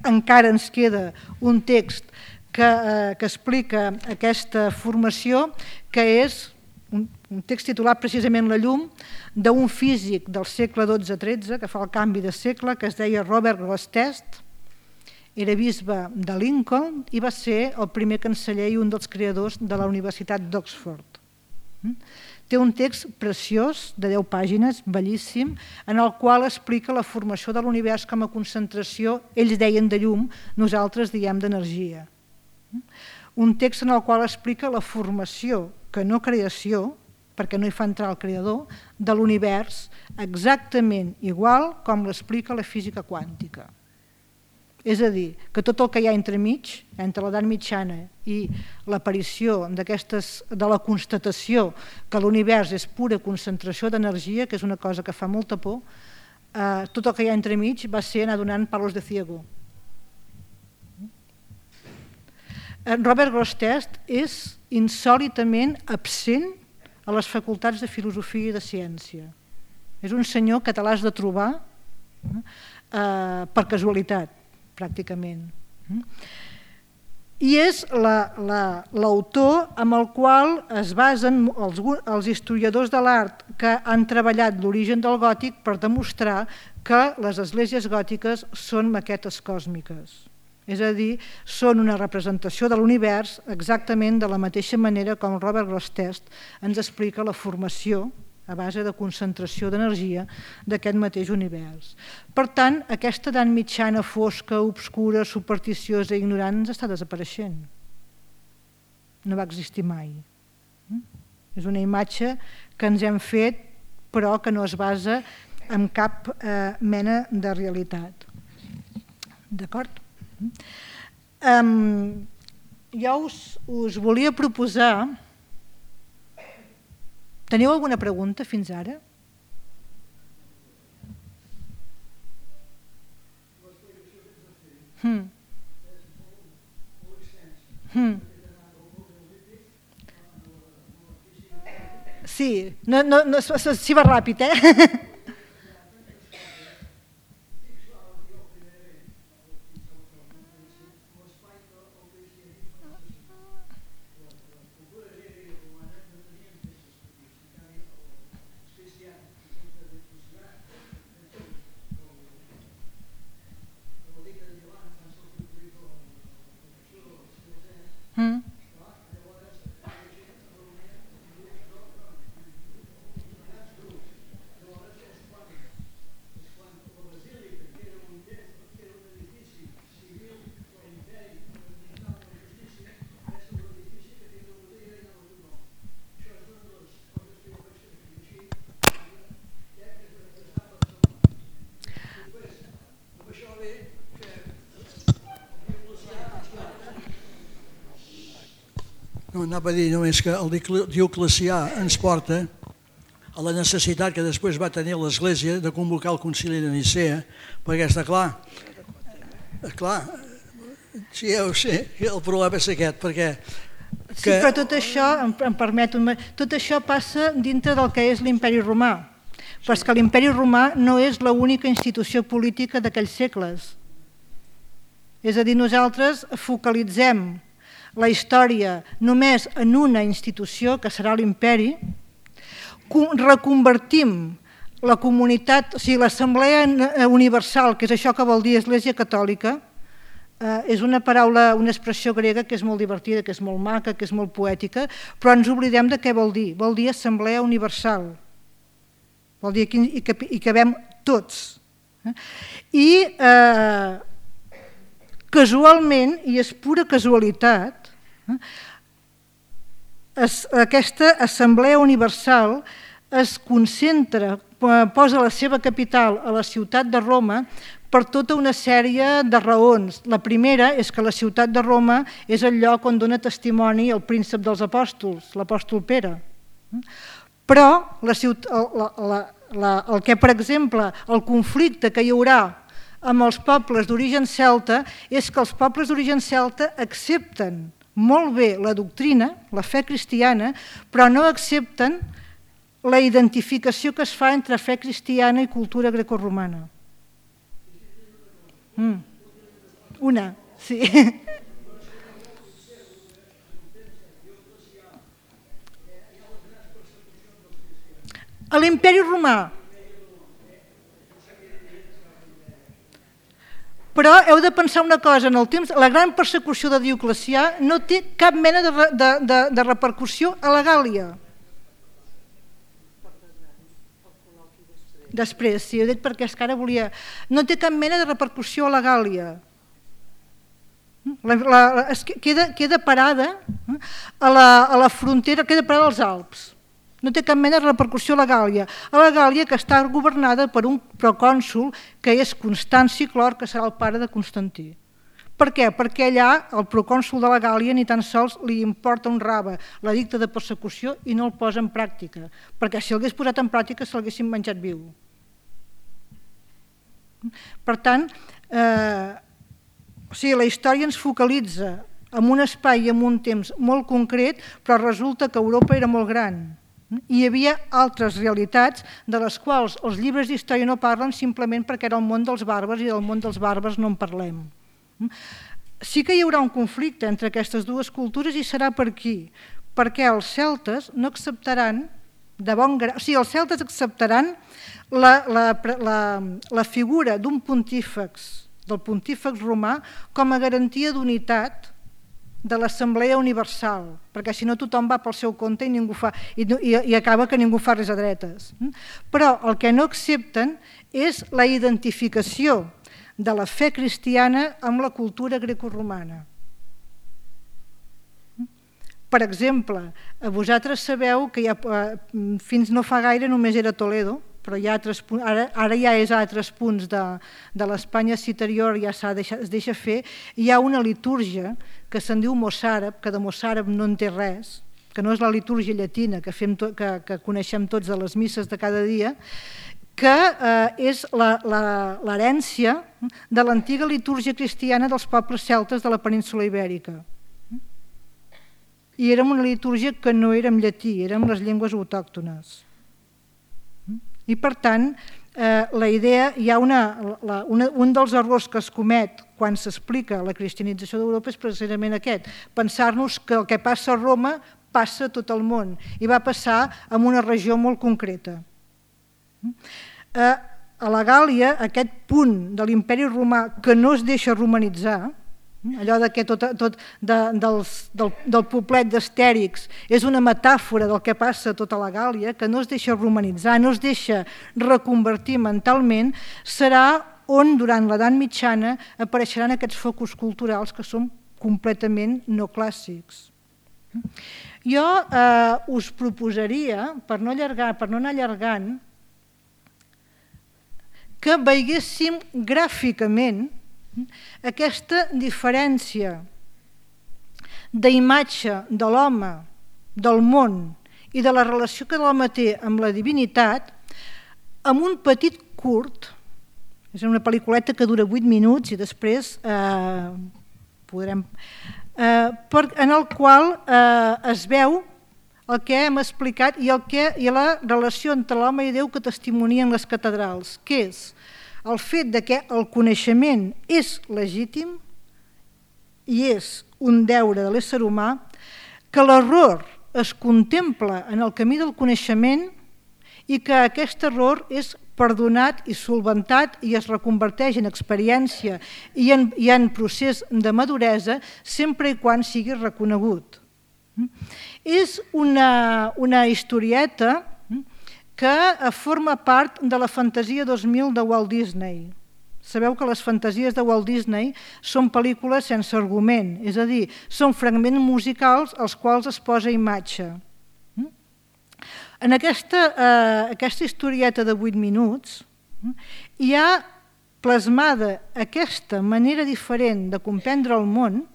encara ens queda un text que, eh, que explica aquesta formació, que és un, un text titulat precisament La llum, d'un físic del segle dotze tretze, que fa el canvi de segle, que es deia Robert Grosseteste, era bisbe de Lincoln i va ser el primer canceller i un dels creadors de la Universitat d'Oxford. Té un text preciós, de deu pàgines, bellíssim, en el qual explica la formació de l'univers com a concentració, ells deien de llum, nosaltres diem d'energia. Un text en el qual explica la formació, que no creació, perquè no hi fa entrar el creador, de l'univers exactament igual com l'explica la física quàntica. És a dir, que tot el que hi ha entremig, entre l'edat mitjana i l'aparició de la constatació que l'univers és pura concentració d'energia, que és una cosa que fa molta por, eh, tot el que hi ha entremig va ser anar donant palos de ciego. Robert Grosseteste és insòlitament absent a les facultats de filosofia i de ciència. És un senyor que te l'has de trobar eh, per casualitat, pràcticament. I és l'autor amb el qual es basen els, els historiadors de l'art que han treballat l'origen del gòtic per demostrar que les esglésies gòtiques són maquetes còsmiques. És a dir, són una representació de l'univers exactament de la mateixa manera com Robert Grosseteste ens explica la formació a base de concentració d'energia d'aquest mateix univers. Per tant, aquesta edat mitjana fosca, obscura, supersticiosa i ignorant ens està desapareixent. No va existir mai. És una imatge que ens hem fet, però que no es basa en cap eh, mena de realitat. D'acord? Um, jo us, us volia proposar... Teniu alguna pregunta fins ara? Hmm. Hmm. Sí, no, no, no, si va ràpid, eh? Mm. No, anava a dir només que el Dioclecià ens porta a la necessitat que després va tenir l'Església de convocar el concili de Nicea, perquè està clar, clar, sí, ja ho sé, el problema és aquest, perquè... Que... Sí, però tot això, em, em permeto, tot això passa dintre del que és l'imperi romà, però és que l'imperi romà no és l'única institució política d'aquells segles. És a dir, nosaltres focalitzem la història només en una institució, que serà l'imperi, reconvertim la comunitat, o sigui, l'Assemblea Universal, que és això que vol dir Església Catòlica, és una paraula, una expressió grega que és molt divertida, que és molt maca, que és molt poètica, però ens oblidem de què vol dir. Vol dir Assemblea Universal. Vol dir que hi cabem tots. I casualment, i és pura casualitat, aquesta Assemblea Universal es concentra, posa la seva capital a la ciutat de Roma per tota una sèrie de raons. La primera és que la ciutat de Roma és el lloc on dona testimoni el príncep dels apòstols, l'apòstol Pere. Però la ciutat, la, la, la, el que, per exemple, el conflicte que hi haurà amb els pobles d'origen celta és que els pobles d'origen celta accepten molt bé la doctrina, la fe cristiana, però no accepten la identificació que es fa entre fe cristiana i cultura grecorromana. Mm. Una, sí. A l'imperi romà. Però heu de pensar una cosa, en el temps, la gran persecució de Dioclecià no té cap mena de, de, de, de repercussió a la Gàl·lia. Després, sí, ho he dit perquè és que ara volia... No té cap mena de repercussió a la Gàl·lia. La, la, es queda, queda parada a la, a la frontera, queda parada als Alps. No té cap mena de repercussió a la Gàl·lia. A la Gàl·lia, que està governada per un procònsul que és Constanci Clor, que serà el pare de Constantí. Per què? Perquè allà el procònsul de la Gàl·lia ni tan sols li importa un rave l'edicte de persecució i no el posa en pràctica, perquè si l'hagués posat en pràctica se l'haguessin menjat viu. Per tant, eh, o sigui, la història ens focalitza en un espai i en un temps molt concret, però resulta que Europa era molt gran. Hi havia altres realitats de les quals els llibres d'història no parlen simplement perquè era el món dels bàrbars i del món dels bàrbars no en parlem. Sí que hi haurà un conflicte entre aquestes dues cultures i serà per aquí, perquè els celtes no acceptaran de bon grau, o sigui, els celtes acceptaran la, la, la, la figura d'un pontífex, del pontífex romà, com a garantia d'unitat de l'Assemblea Universal, perquè si no tothom va pel seu compte i, ningú fa, i, i, i acaba que ningú fa res a dretes. Però el que no accepten és la identificació de la fe cristiana amb la cultura grecoromana. Per exemple, vosaltres sabeu que ja, fins no fa gaire només era Toledo, però hi ha altres punts, ara, ara ja és a altres punts de, de l'Espanya citerior, ja deixa, es deixa fer. Hi ha una litúrgia que se'n diu mossàrab, que de mossàrab no en té res, que no és la litúrgia llatina que, fem to, que, que coneixem tots de les misses de cada dia, que eh, és l'herència de l'antiga litúrgia cristiana dels pobles celtes de la península ibèrica. I era una litúrgia que no era en llatí, era en les llengües autòctones. I per tant, eh, la idea, hi ha una, la, una, un dels errors que es comet quan s'explica la cristianització d'Europa és precisament aquest, pensar-nos que el que passa a Roma passa a tot el món i va passar en una regió molt concreta. Eh, a la Gàl·lia, aquest punt de l'imperi romà que no es deixa romanitzar, allò de que tot, tot de, dels, del, del poblet d'Astèrix és una metàfora del que passa a tota la Gàl·lia, que no es deixa romanitzar, no es deixa reconvertir mentalment, serà on durant l'edat mitjana apareixeran aquests focus culturals que són completament no clàssics. Jo eh, us proposaria, per no, allargar, per no anar allargant, que veiéssim gràficament aquesta diferència d'imatge de l'home, del món i de la relació que l'home té amb la divinitat amb un petit curt, és una pel·lículeta que dura vuit minuts i després eh, podrem... Eh, per, en el qual eh, es veu el que hem explicat i, el que, i la relació entre l'home i Déu que testimonien les catedrals, que és el fet de que el coneixement és legítim i és un deure de l'ésser humà, que l'error es contempla en el camí del coneixement i que aquest error és perdonat i solventat i es reconverteix en experiència i en, i en procés de maduresa sempre i quan sigui reconegut. És una, una historieta que forma part de la fantasia dos mil de Walt Disney. Sabeu que les fantasies de Walt Disney són pel·lícules sense argument, és a dir, són fragments musicals als quals es posa imatge. En aquesta, eh, aquesta historieta de vuit minuts hi ha plasmada aquesta manera diferent de comprendre el món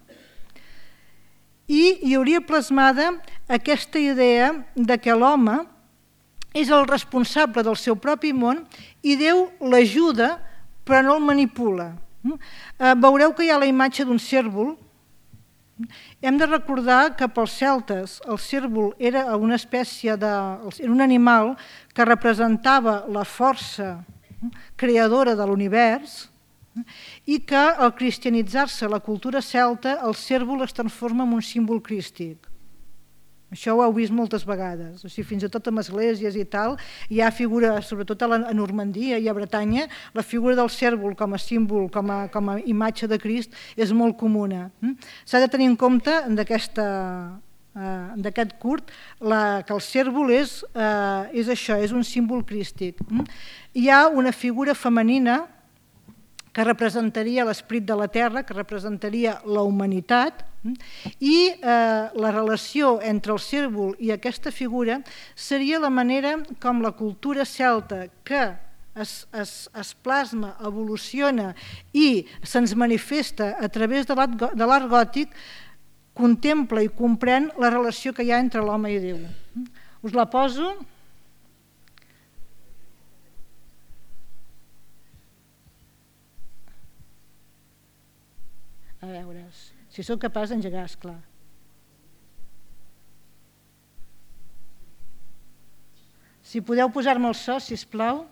i hi hauria plasmada aquesta idea de que l'home és el responsable del seu propi món i Déu l'ajuda però no el manipula. Eh, veureu que hi ha la imatge d'un cérvol. Hem de recordar que pels celtes el cérvol era una espècie de, era un animal que representava la força creadora de l'univers i que al cristianitzar-se la cultura celta el cérvol es transforma en un símbol crístic. Això ho heu vist moltes vegades, o sigui, fins i tot en esglésies i tal, hi ha figura, sobretot a, la, a Normandia i a Bretanya, la figura del cérvol com a símbol, com a, com a imatge de Crist és molt comuna. S'ha de tenir en compte d'aquest uh, curt la, que el cérvol és, uh, és això, és un símbol crístic. Hi ha una figura femenina que representaria l'esperit de la terra, que representaria la humanitat, i eh, la relació entre el cérvol i aquesta figura seria la manera com la cultura celta que es, es, es plasma, evoluciona i se'ns manifesta a través de l'art gòtic contempla i comprèn la relació que hi ha entre l'home i Déu. Us la poso. A veure, si sóc capaç d'engegar, esclar. Si podeu posar-me el so, sisplau.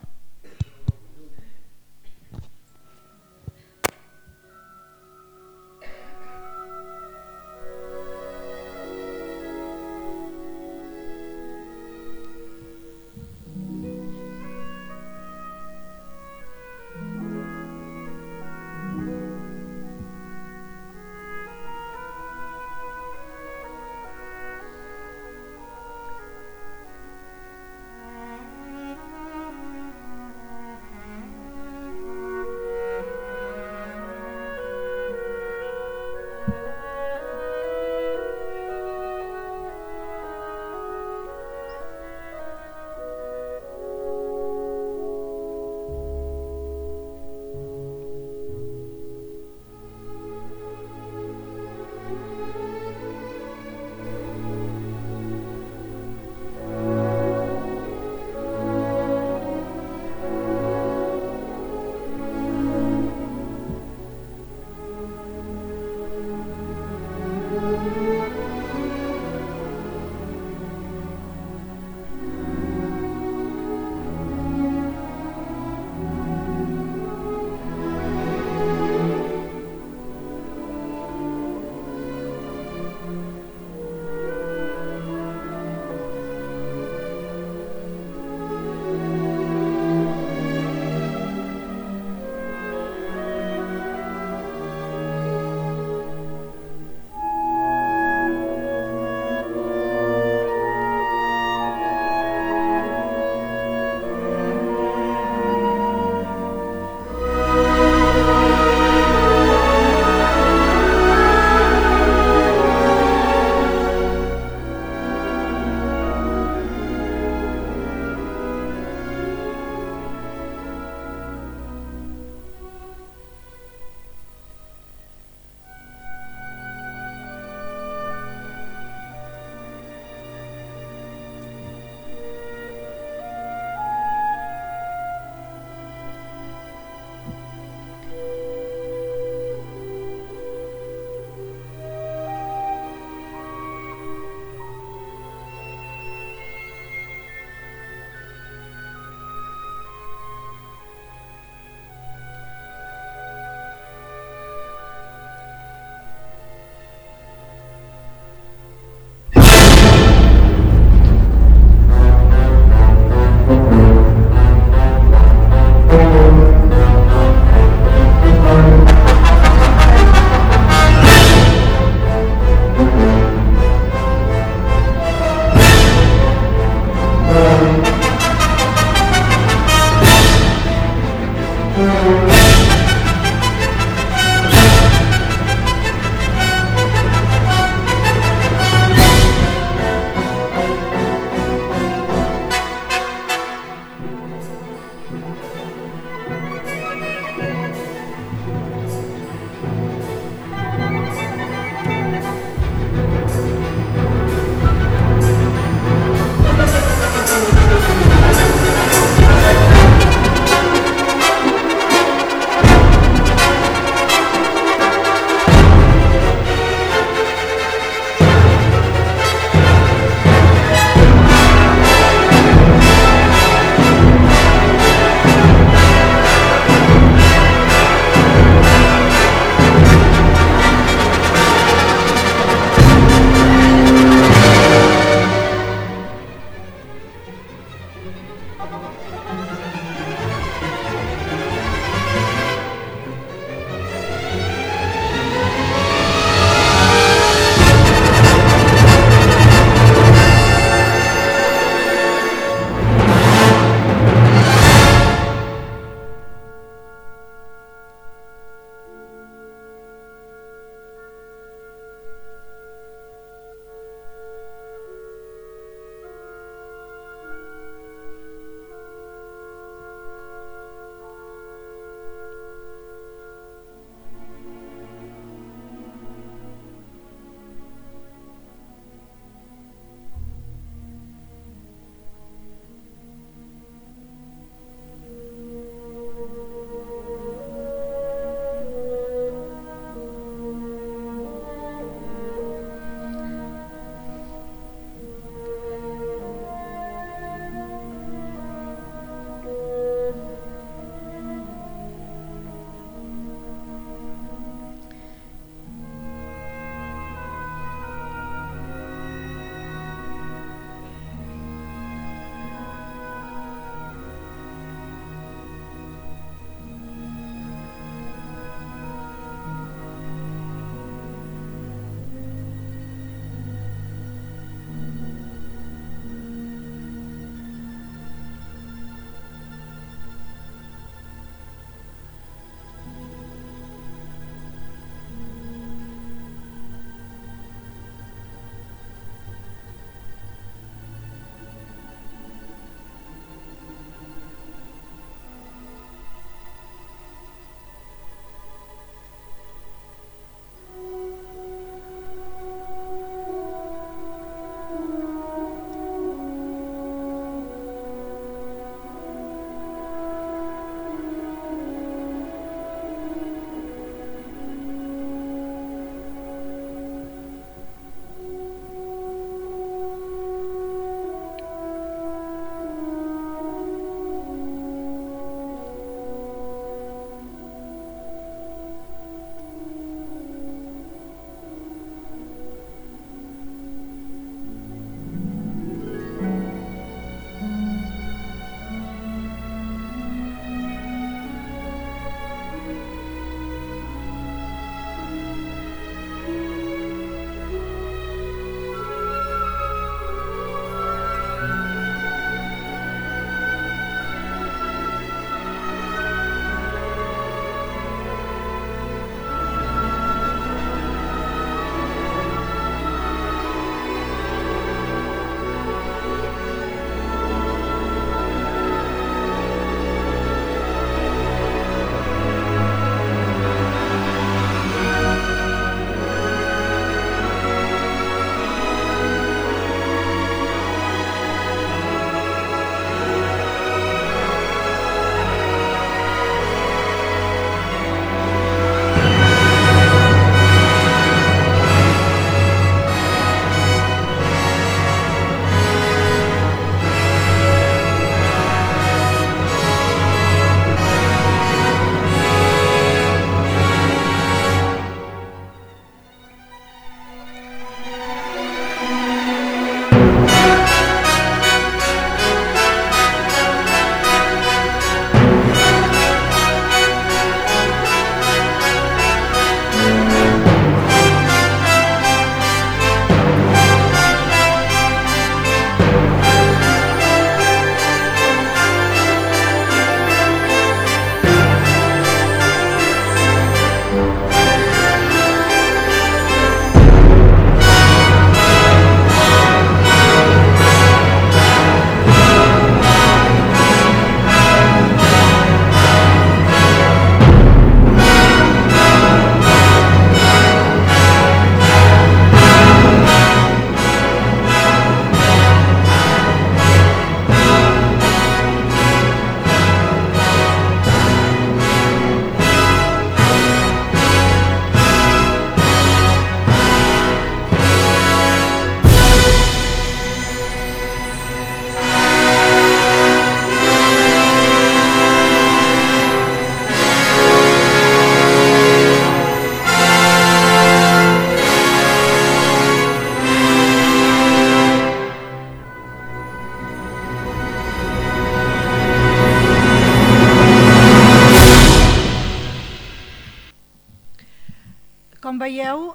veieu,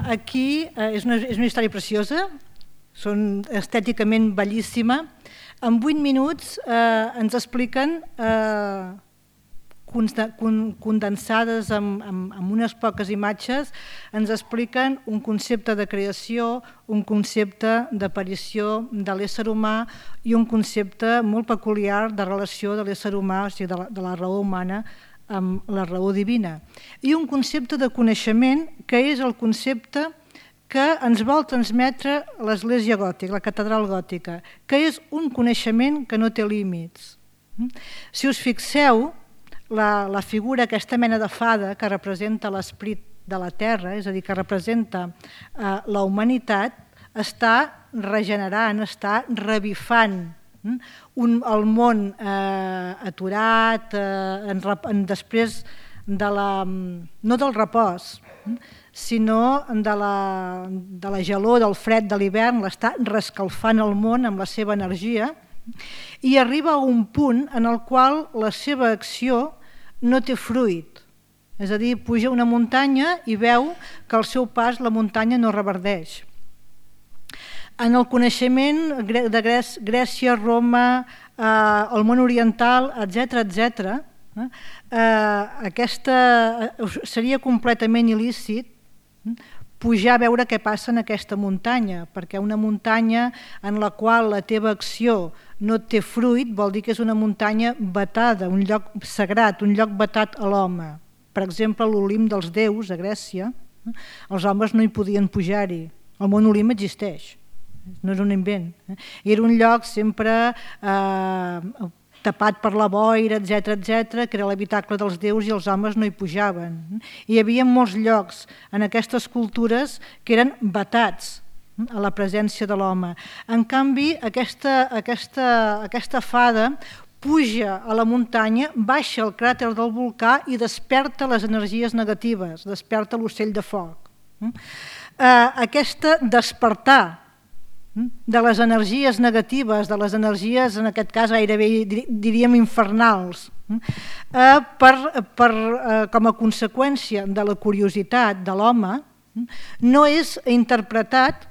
aquí és una història preciosa, són estèticament bellíssima. En vuit minuts ens expliquen, condensades amb unes poques imatges, ens expliquen un concepte de creació, un concepte d'aparició de l'ésser humà i un concepte molt peculiar de relació de l'ésser humà, o sigui, de la raó humana, amb la raó divina. I un concepte de coneixement que és el concepte que ens vol transmetre l'Església Gòtica, la catedral gòtica, que és un coneixement que no té límits. Si us fixeu, la, la figura, aquesta mena de fada que representa l'esperit de la Terra, és a dir, que representa eh, la humanitat, està regenerant, està revifant un, el món eh, aturat, eh, en, en, després de la, no del repòs, sinó de la, de la gelor, del fred de l'hivern, l'està rescalfant el món amb la seva energia, i arriba a un punt en el qual la seva acció no té fruit. És a dir, puja una muntanya i veu que al seu pas la muntanya no reverdeix. En el coneixement de Grècia, Roma, eh, el món oriental, etcètera, etcètera, eh, aquesta seria completament il·lícit pujar a veure què passa en aquesta muntanya, perquè una muntanya en la qual la teva acció no té fruit vol dir que és una muntanya vetada, un lloc sagrat, un lloc vetat a l'home. Per exemple, l'Olimp dels déus a Grècia, els homes no hi podien pujar-hi. El món Olimp existeix, no és un invent. Era un lloc sempre eh, tapat per la boira, etcètera, etcètera, que era l'habitacle dels déus i els homes no hi pujaven. Hi havia molts llocs en aquestes cultures que eren vetats a la presència de l'home. En canvi, aquesta, aquesta, aquesta fada puja a la muntanya, baixa al cràter del volcà i desperta les energies negatives, desperta l'ocell de foc. Aquesta despertar de les energies negatives, de les energies, en aquest cas gairebé diríem infernals, per, per, com a conseqüència de la curiositat de l'home, no és interpretat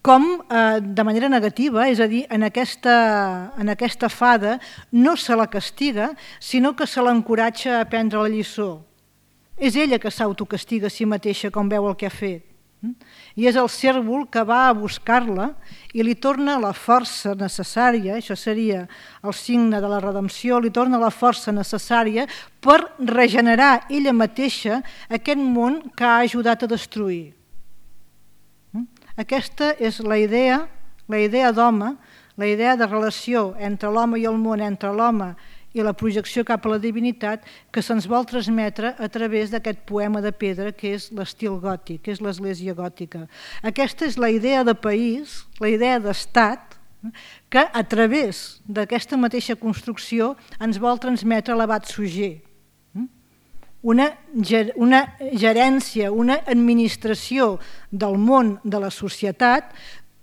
com de manera negativa, és a dir, en aquesta, en aquesta fada no se la castiga, sinó que se l'encoratja a aprendre la lliçó. És ella que s'autocastiga a si mateixa quan veu el que ha fet. I és el cérvol que va a buscar-la i li torna la força necessària, això seria el signe de la redempció, li torna la força necessària per regenerar ella mateixa aquest món que ha ajudat a destruir. Aquesta és la idea, la idea d'home, la idea de relació entre l'home i el món, entre l'home i la projecció cap a la divinitat que se'ns vol transmetre a través d'aquest poema de pedra que és l'estil gòtic, que és l'Església Gòtica. Aquesta és la idea de país, la idea d'estat, que a través d'aquesta mateixa construcció ens vol transmetre l'abat Suger. Una, una gerència, una administració del món de la societat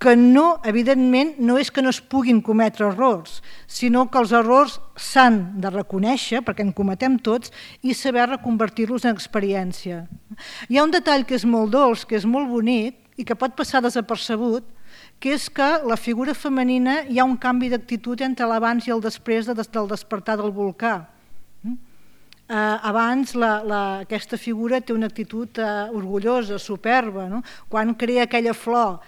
que no, evidentment, no és que no es puguin cometre errors, sinó que els errors s'han de reconèixer, perquè en cometem tots, i saber reconvertir-los en experiència. Hi ha un detall que és molt dolç, que és molt bonic i que pot passar desapercebut, que és que la figura femenina hi ha un canvi d'actitud entre l'abans i el després del despertar del volcà. Abans aquesta figura té una actitud orgullosa, superba, quan crea aquella flor,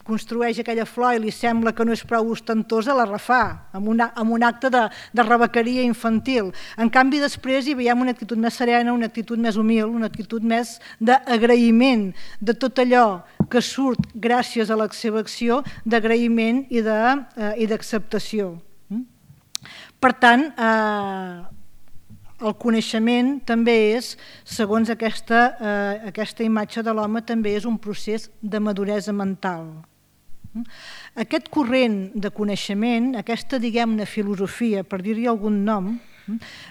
construeix aquella flor i li sembla que no és prou ostentosa, la refà, amb un acte de rebequeria infantil. En canvi, després hi veiem una actitud més serena, una actitud més humil, una actitud més d'agraïment de tot allò que surt gràcies a la seva acció, d'agraïment i d'acceptació. Per tant, el coneixement també és, segons aquesta imatge de l'home, també és un procés de maduresa mental. Aquest corrent de coneixement, aquesta, diguem-ne, filosofia, per dir-hi algun nom,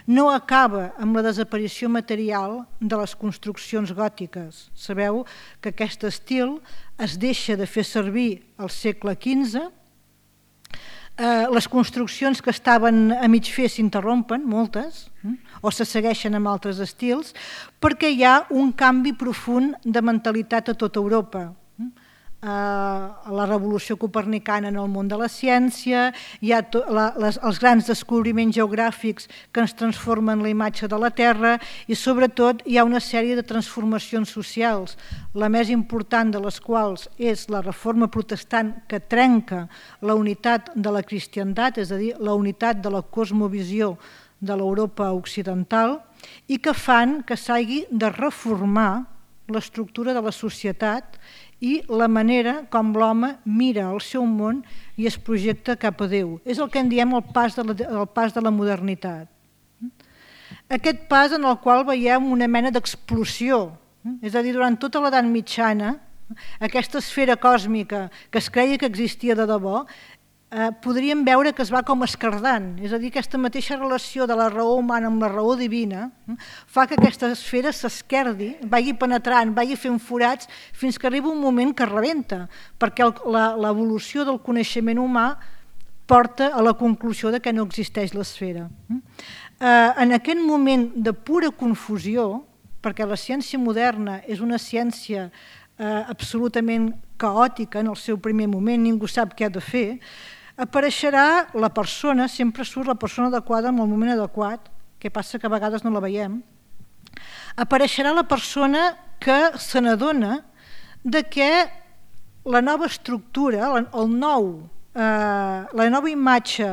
no acaba amb la desaparició material de les construccions gòtiques. Sabeu que aquest estil es deixa de fer servir al segle quinze, Les construccions que estaven a mig fer s'interrompen, moltes, o se segueixen amb altres estils, perquè hi ha un canvi profund de mentalitat a tota Europa. La revolució copernicana en el món de la ciència, hi ha els grans descobriments geogràfics que ens transformen la imatge de la Terra i sobretot hi ha una sèrie de transformacions socials, la més important de les quals és la reforma protestant que trenca la unitat de la cristiandat, és a dir, la unitat de la cosmovisió de l'Europa occidental i que fan que s'hagi de reformar l'estructura de la societat i la manera com l'home mira el seu món i es projecta cap a Déu. És el que en diem el pas de la, el pas de la modernitat. Aquest pas en el qual veiem una mena d'explosió, és a dir, durant tota l'edat mitjana, aquesta esfera còsmica que es creia que existia de debò, podríem veure que es va com esquerdant, és a dir, aquesta mateixa relació de la raó humana amb la raó divina fa que aquesta esfera s'esquerdi, vagi penetrant, vagi fent forats fins que arriba un moment que rebenta, perquè l'evolució del coneixement humà porta a la conclusió de que no existeix l'esfera. En aquest moment de pura confusió, perquè la ciència moderna és una ciència absolutament caòtica en el seu primer moment, ningú sap què ha de fer, apareixerà la persona, sempre surt la persona adequada en el moment adequat, que passa que a vegades no la veiem, apareixerà la persona que se n'adona que la nova estructura, el nou, la nova imatge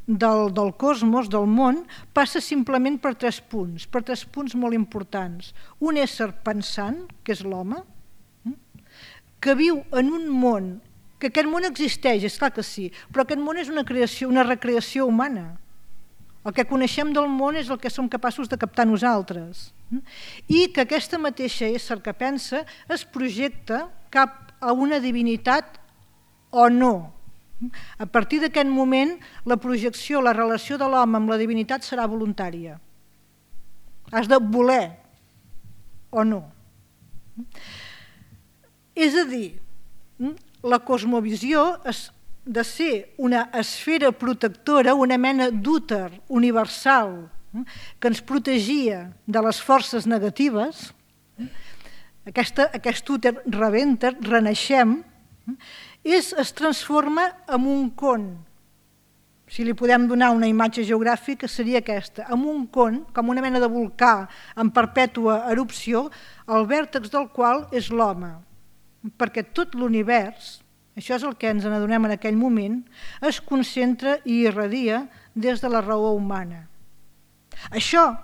del, del cosmos, del món, passa simplement per tres punts, per tres punts molt importants. Un ésser pensant, que és l'home, que viu en un món, que aquest món existeix, és clar que sí, però aquest món és una creació, una recreació humana. El que coneixem del món és el que som capaços de captar nosaltres. I que aquesta mateixa ésser que pensa es projecta cap a una divinitat o no. A partir d'aquest moment, la projecció, la relació de l'home amb la divinitat serà voluntària. Has de voler o no. És a dir, la cosmovisió és de ser una esfera protectora, una mena d'úter universal que ens protegia de les forces negatives. Aquesta, aquest úter rebenta, renaixem, és, es transforma en un con. Si li podem donar una imatge geogràfica seria aquesta, en un con, com una mena de volcà en perpètua erupció, el vèrtex del qual és l'home. Perquè tot l'univers, això és el que ens n'adonem en aquell moment, es concentra i irradia des de la raó humana. Això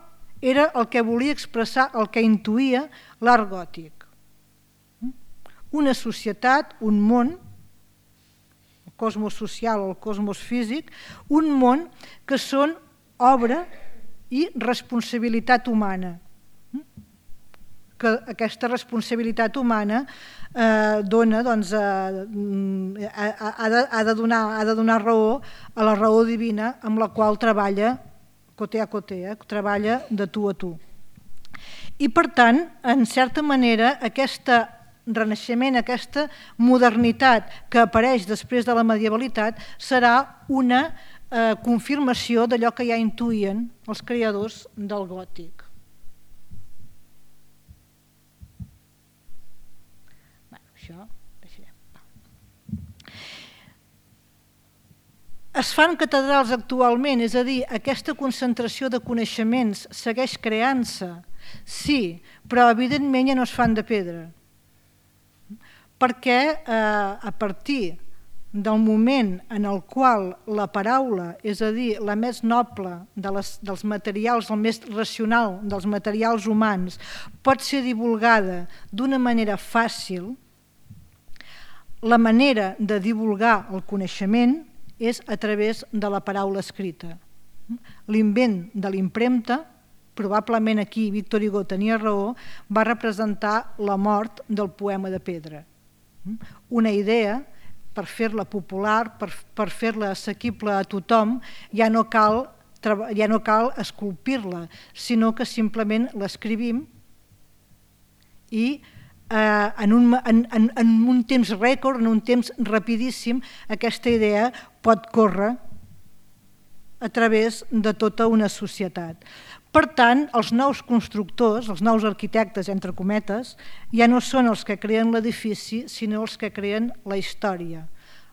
era el que volia expressar, el que intuïa l'art gòtic. Una societat, un món, el cosmos social o el cosmos físic, un món que són obra i responsabilitat humana. Que aquesta responsabilitat humana eh, dona, doncs, eh, ha, de, ha, de donar, ha de donar raó a la raó divina amb la qual treballa coté a coté, eh, treballa de tu a tu. I per tant, en certa manera, aquest renaixement, aquesta modernitat que apareix després de la medievalitat serà una eh, confirmació d'allò que ja intuïen els creadors del gòtic. Es fan catedrals actualment, és a dir, aquesta concentració de coneixements segueix creant-se, sí, però evidentment ja no es fan de pedra. Perquè eh, a partir del moment en el qual la paraula, és a dir, la més noble de les, dels materials, el més racional dels materials humans, pot ser divulgada d'una manera fàcil, la manera de divulgar el coneixement és a través de la paraula escrita. L'invent de l'impremta, probablement aquí Victor Hugo tenia raó, va representar la mort del poema de pedra. Una idea, per fer-la popular, per, per fer-la assequible a tothom, ja no cal, ja no cal esculpir-la, sinó que simplement l'escrivim i en un, en, en, en un temps rècord, en un temps rapidíssim, aquesta idea pot córrer a través de tota una societat. Per tant, els nous constructors, els nous arquitectes, entre cometes, ja no són els que creen l'edifici, sinó els que creen la història.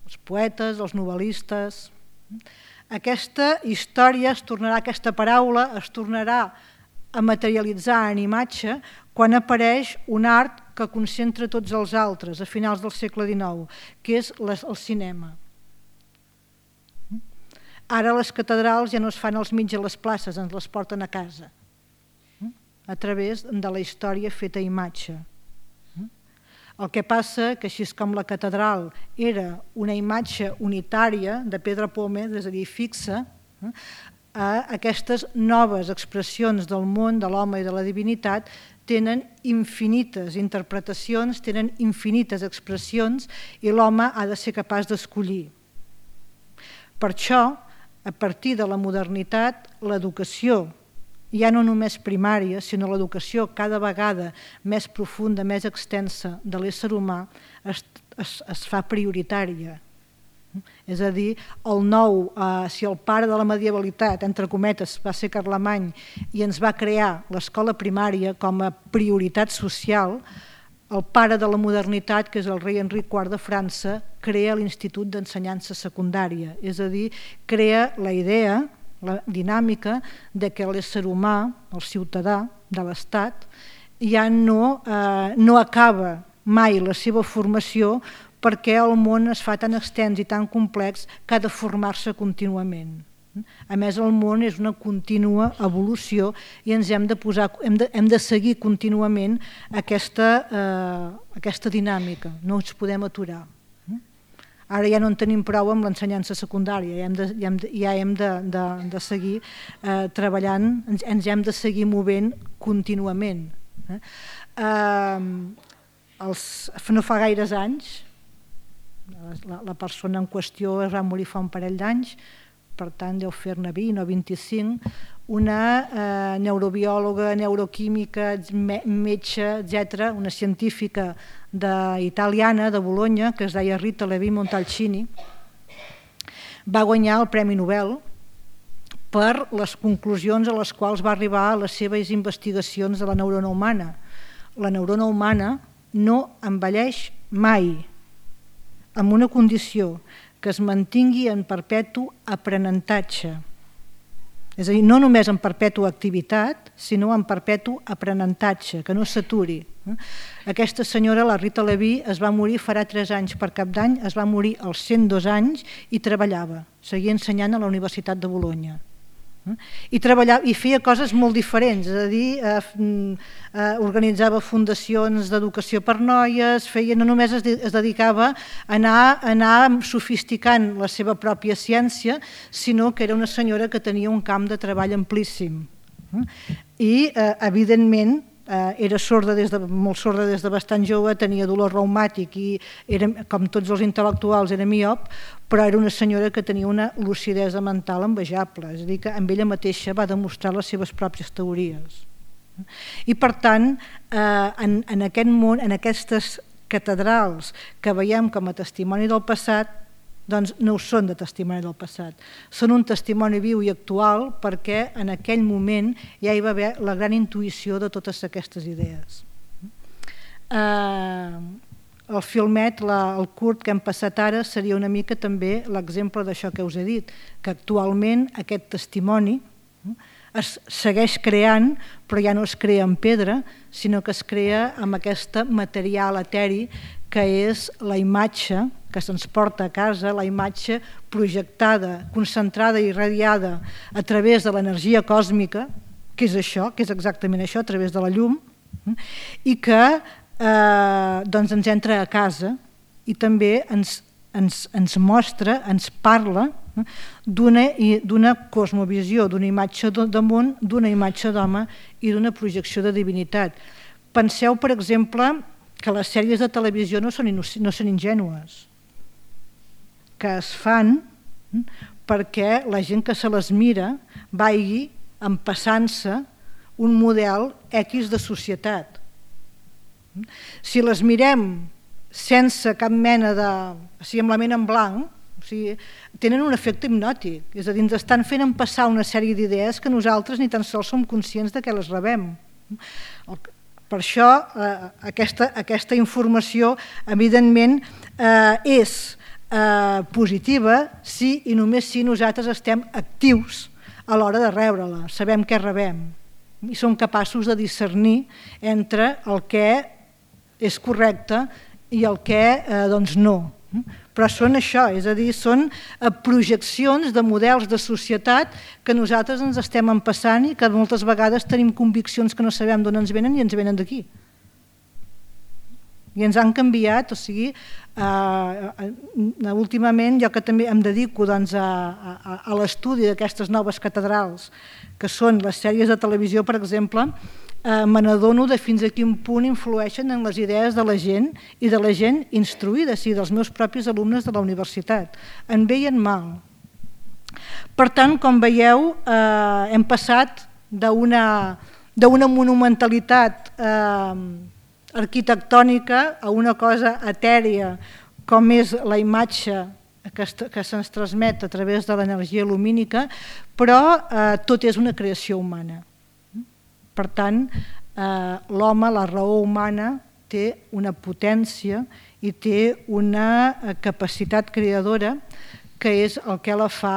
Els poetes, els novel·listes. Aquesta història es tornarà, aquesta paraula es tornarà a materialitzar en imatge quan apareix un art que concentra tots els altres a finals del segle dinou, que és el cinema. Ara les catedrals ja no es fan als mig a les places, ens les porten a casa, a través de la història feta a imatge. El que passa que així com la catedral era una imatge unitària de pedra pome, és a dir, fixa, a aquestes noves expressions del món, de l'home i de la divinitat, tenen infinites interpretacions, tenen infinites expressions i l'home ha de ser capaç d'escollir. Per això, a partir de la modernitat, l'educació, ja no només primària, sinó l'educació cada vegada més profunda, més extensa de l'ésser humà, es, es, es fa prioritària. És a dir, el nou, eh, si el pare de la medievalitat, entre cometes, va ser Carlemany i ens va crear l'escola primària com a prioritat social, el pare de la modernitat, que és el rei Enric quart de França, crea l'Institut d'Ensenyança Secundària, és a dir, crea la idea, la dinàmica de que l'ésser humà, el ciutadà de l'Estat, ja no, eh, no acaba mai la seva formació perquè el món es fa tan extens i tan complex que ha de formar-se contínuament. A més, el món és una contínua evolució i ens hem de, posar, hem de, hem de seguir contínuament aquesta, eh, aquesta dinàmica, no ens podem aturar. Ara ja no en tenim prou amb l'ensenyança secundària, ja hem de, ja hem de, ja hem de, de, de seguir eh, treballant, ens, ens hem de seguir movent contínuament. Eh? Eh, els, no fa gaires anys, la, la persona en qüestió es va morir fa un parell d'anys, per tant deu fer-ne vint o vint-i-cinc, una eh, neurobiòloga, neuroquímica, me, metge, etcètera, una científica de, italiana de Bologna, que es deia Rita Levi-Montalcini, va guanyar el Premi Nobel per les conclusions a les quals va arribar a les seves investigacions de la neurona humana. La neurona humana no envelleix mai, amb una condició, que es mantingui en perpetu aprenentatge. És a dir, no només en perpètua activitat, sinó en perpetu aprenentatge, que no s'aturi. Aquesta senyora, la Rita Levi, es va morir farà tres anys per Cap d'Any, es va morir als cent dos anys i treballava, seguia ensenyant a la Universitat de Bologna. I, treballava, i feia coses molt diferents, és a dir, eh, eh, organitzava fundacions d'educació per noies, feia, no només es, de, es dedicava a anar, a anar sofisticant la seva pròpia ciència, sinó que era una senyora que tenia un camp de treball amplíssim. I, eh, evidentment, eh, era sorda des de, molt sorda des de bastant jove, tenia dolor reumàtic i, era, com tots els intel·lectuals, era miop, però era una senyora que tenia una lucidesa mental envejable, és a dir, que amb ella mateixa va demostrar les seves pròpies teories. I per tant, eh, en, en aquest món, en aquestes catedrals que veiem com a testimoni del passat, doncs no ho són de testimoni del passat, són un testimoni viu i actual perquè en aquell moment ja hi va haver la gran intuïció de totes aquestes idees. Eh, el filmet, la, el curt que hem passat ara seria una mica també l'exemple d'això que us he dit, que actualment aquest testimoni es segueix creant, però ja no es crea en pedra, sinó que es crea amb aquest material eteri que és la imatge que se'ns porta a casa, la imatge projectada, concentrada i irradiada a través de l'energia còsmica, que és això, que és exactament això, a través de la llum, i que eh, doncs ens entra a casa i també ens, ens, ens mostra, ens parla d'una cosmovisió, d'una imatge de món, d'una imatge d'home i d'una projecció de divinitat. Penseu, per exemple, que les sèries de televisió no són, no són ingènues, que es fan perquè la gent que se les mira vagi empassant-se un model X de societat. Si les mirem sense cap mena de... o sigui, amb la ment en blanc, o sigui, tenen un efecte hipnòtic, és a dir, ens estan fent passar una sèrie d'idees que nosaltres ni tan sols som conscients de què les rebem. Per això eh, aquesta, aquesta informació evidentment eh, és eh, positiva si i només si nosaltres estem actius a l'hora de rebre-la, sabem què rebem i som capaços de discernir entre el que és correcte i el que eh, doncs no. Però són això, és a dir, són projeccions de models de societat que nosaltres ens estem empassant i que moltes vegades tenim conviccions que no sabem d'on ens venen i ens venen d'aquí. I ens han canviat, o sigui, eh, últimament jo que també em dedico doncs, a, a, a l'estudi d'aquestes noves catedrals, que són les sèries de televisió, per exemple, eh, me n'adono de fins a quin punt influeixen en les idees de la gent i de la gent instruïda, sí, dels meus propis alumnes de la universitat, en bé i en mal. Per tant, com veieu, eh, hem passat d'una d'una monumentalitat eh, arquitectònica a una cosa etèria com és la imatge que, que se'ns transmet a través de l'energia lumínica, però eh, tot és una creació humana. Per tant, eh, l'home, la raó humana, té una potència i té una capacitat creadora que és el que la fa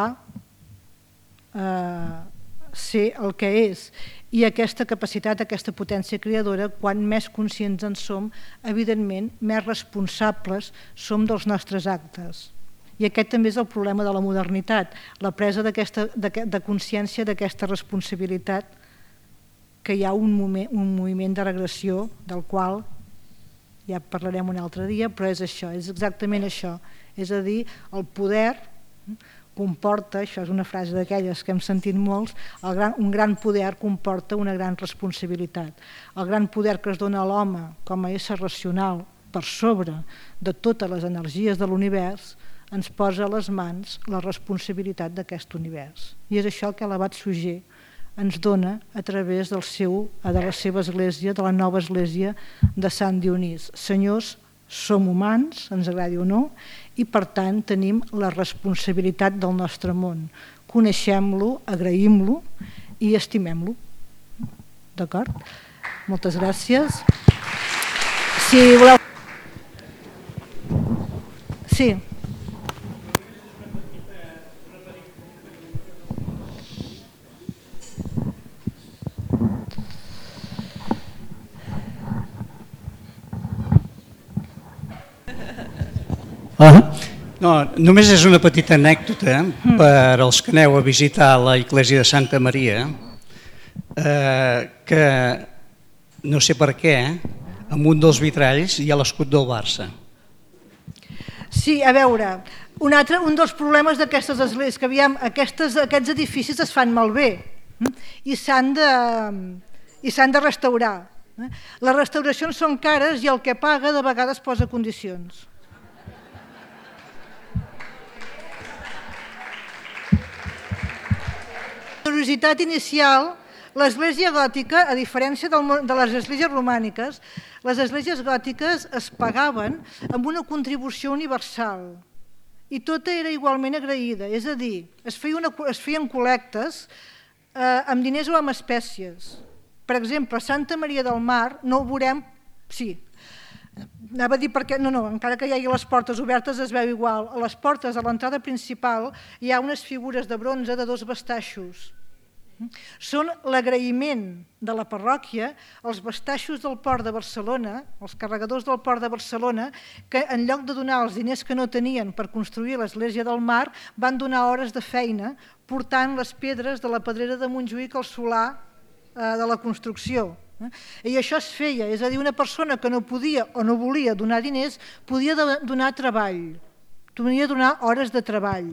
eh, ser el que és. I aquesta capacitat, aquesta potència creadora, quan més conscients en som, evidentment, més responsables som dels nostres actes. I aquest també és el problema de la modernitat, la presa d'aquesta, de, de consciència d'aquesta responsabilitat, que hi ha un, moment, un moviment de regressió del qual ja parlarem un altre dia, però és això, és exactament això. És a dir, el poder comporta, això és una frase d'aquelles que hem sentit molts, el gran, un gran poder comporta una gran responsabilitat. El gran poder que es dona a l'home com a ésser racional per sobre de totes les energies de l'univers ens posa a les mans la responsabilitat d'aquest univers. I és això que l'abat Suger ens dona a través del seu, de la seva església, de la nova església de Sant Dionís. Senyors, som humans, ens agradi o no, i per tant tenim la responsabilitat del nostre món. Coneixem-lo, agraïm-lo i estimem-lo. D'acord? Moltes gràcies. Si voleu... Sí. Ah, no, només és una petita anècdota mm. per als que aneu a visitar la Església de Santa Maria, eh, que no sé per què, en un dels vitralls hi ha l'escut del Barça. Sí, a veure, un, altre, un dels problemes d'aquestes esglésies, que aviam, aquestes, aquests edificis es fan malbé i s'han de, i s'han de restaurar. Les restauracions són cares i el que paga de vegades posa condicions. La curiositat inicial, l'església gòtica, a diferència del, de les esglésies romàniques, les esglésies gòtiques es pagaven amb una contribució universal i tota era igualment agraïda, és a dir, es, feia una, es feien col·lectes eh, amb diners o amb espècies. Per exemple, a Santa Maria del Mar no ho veurem, sí, anava a dir perquè, no, no, encara que hi hagi les portes obertes es veu igual. A les portes, a l'entrada principal, hi ha unes figures de bronze de dos bastaixos. Són l'agraïment de la parròquia als bastaixos del port de Barcelona, els carregadors del port de Barcelona, que en lloc de donar els diners que no tenien per construir l'església del Mar, van donar hores de feina portant les pedres de la pedrera de Montjuïc al solar eh, de la construcció. I això es feia, és a dir, una persona que no podia o no volia donar diners podia donar treball, podia donar hores de treball.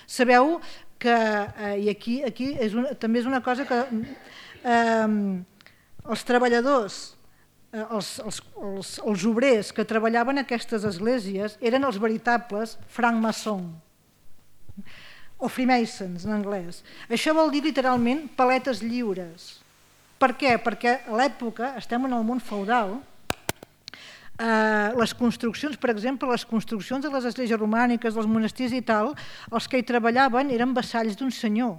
Sabeu que, eh, i aquí, aquí és una, també és una cosa que eh, els treballadors, eh, els, els, els, els obrers que treballaven en aquestes esglésies eren els veritables francmaçons, o freemasons en anglès. Això vol dir literalment paletes lliures. Per què? Perquè a l'època, estem en el món feudal, les construccions, per exemple, les construccions de les esglésies romàniques, dels monestirs i tal, els que hi treballaven eren vassalls d'un senyor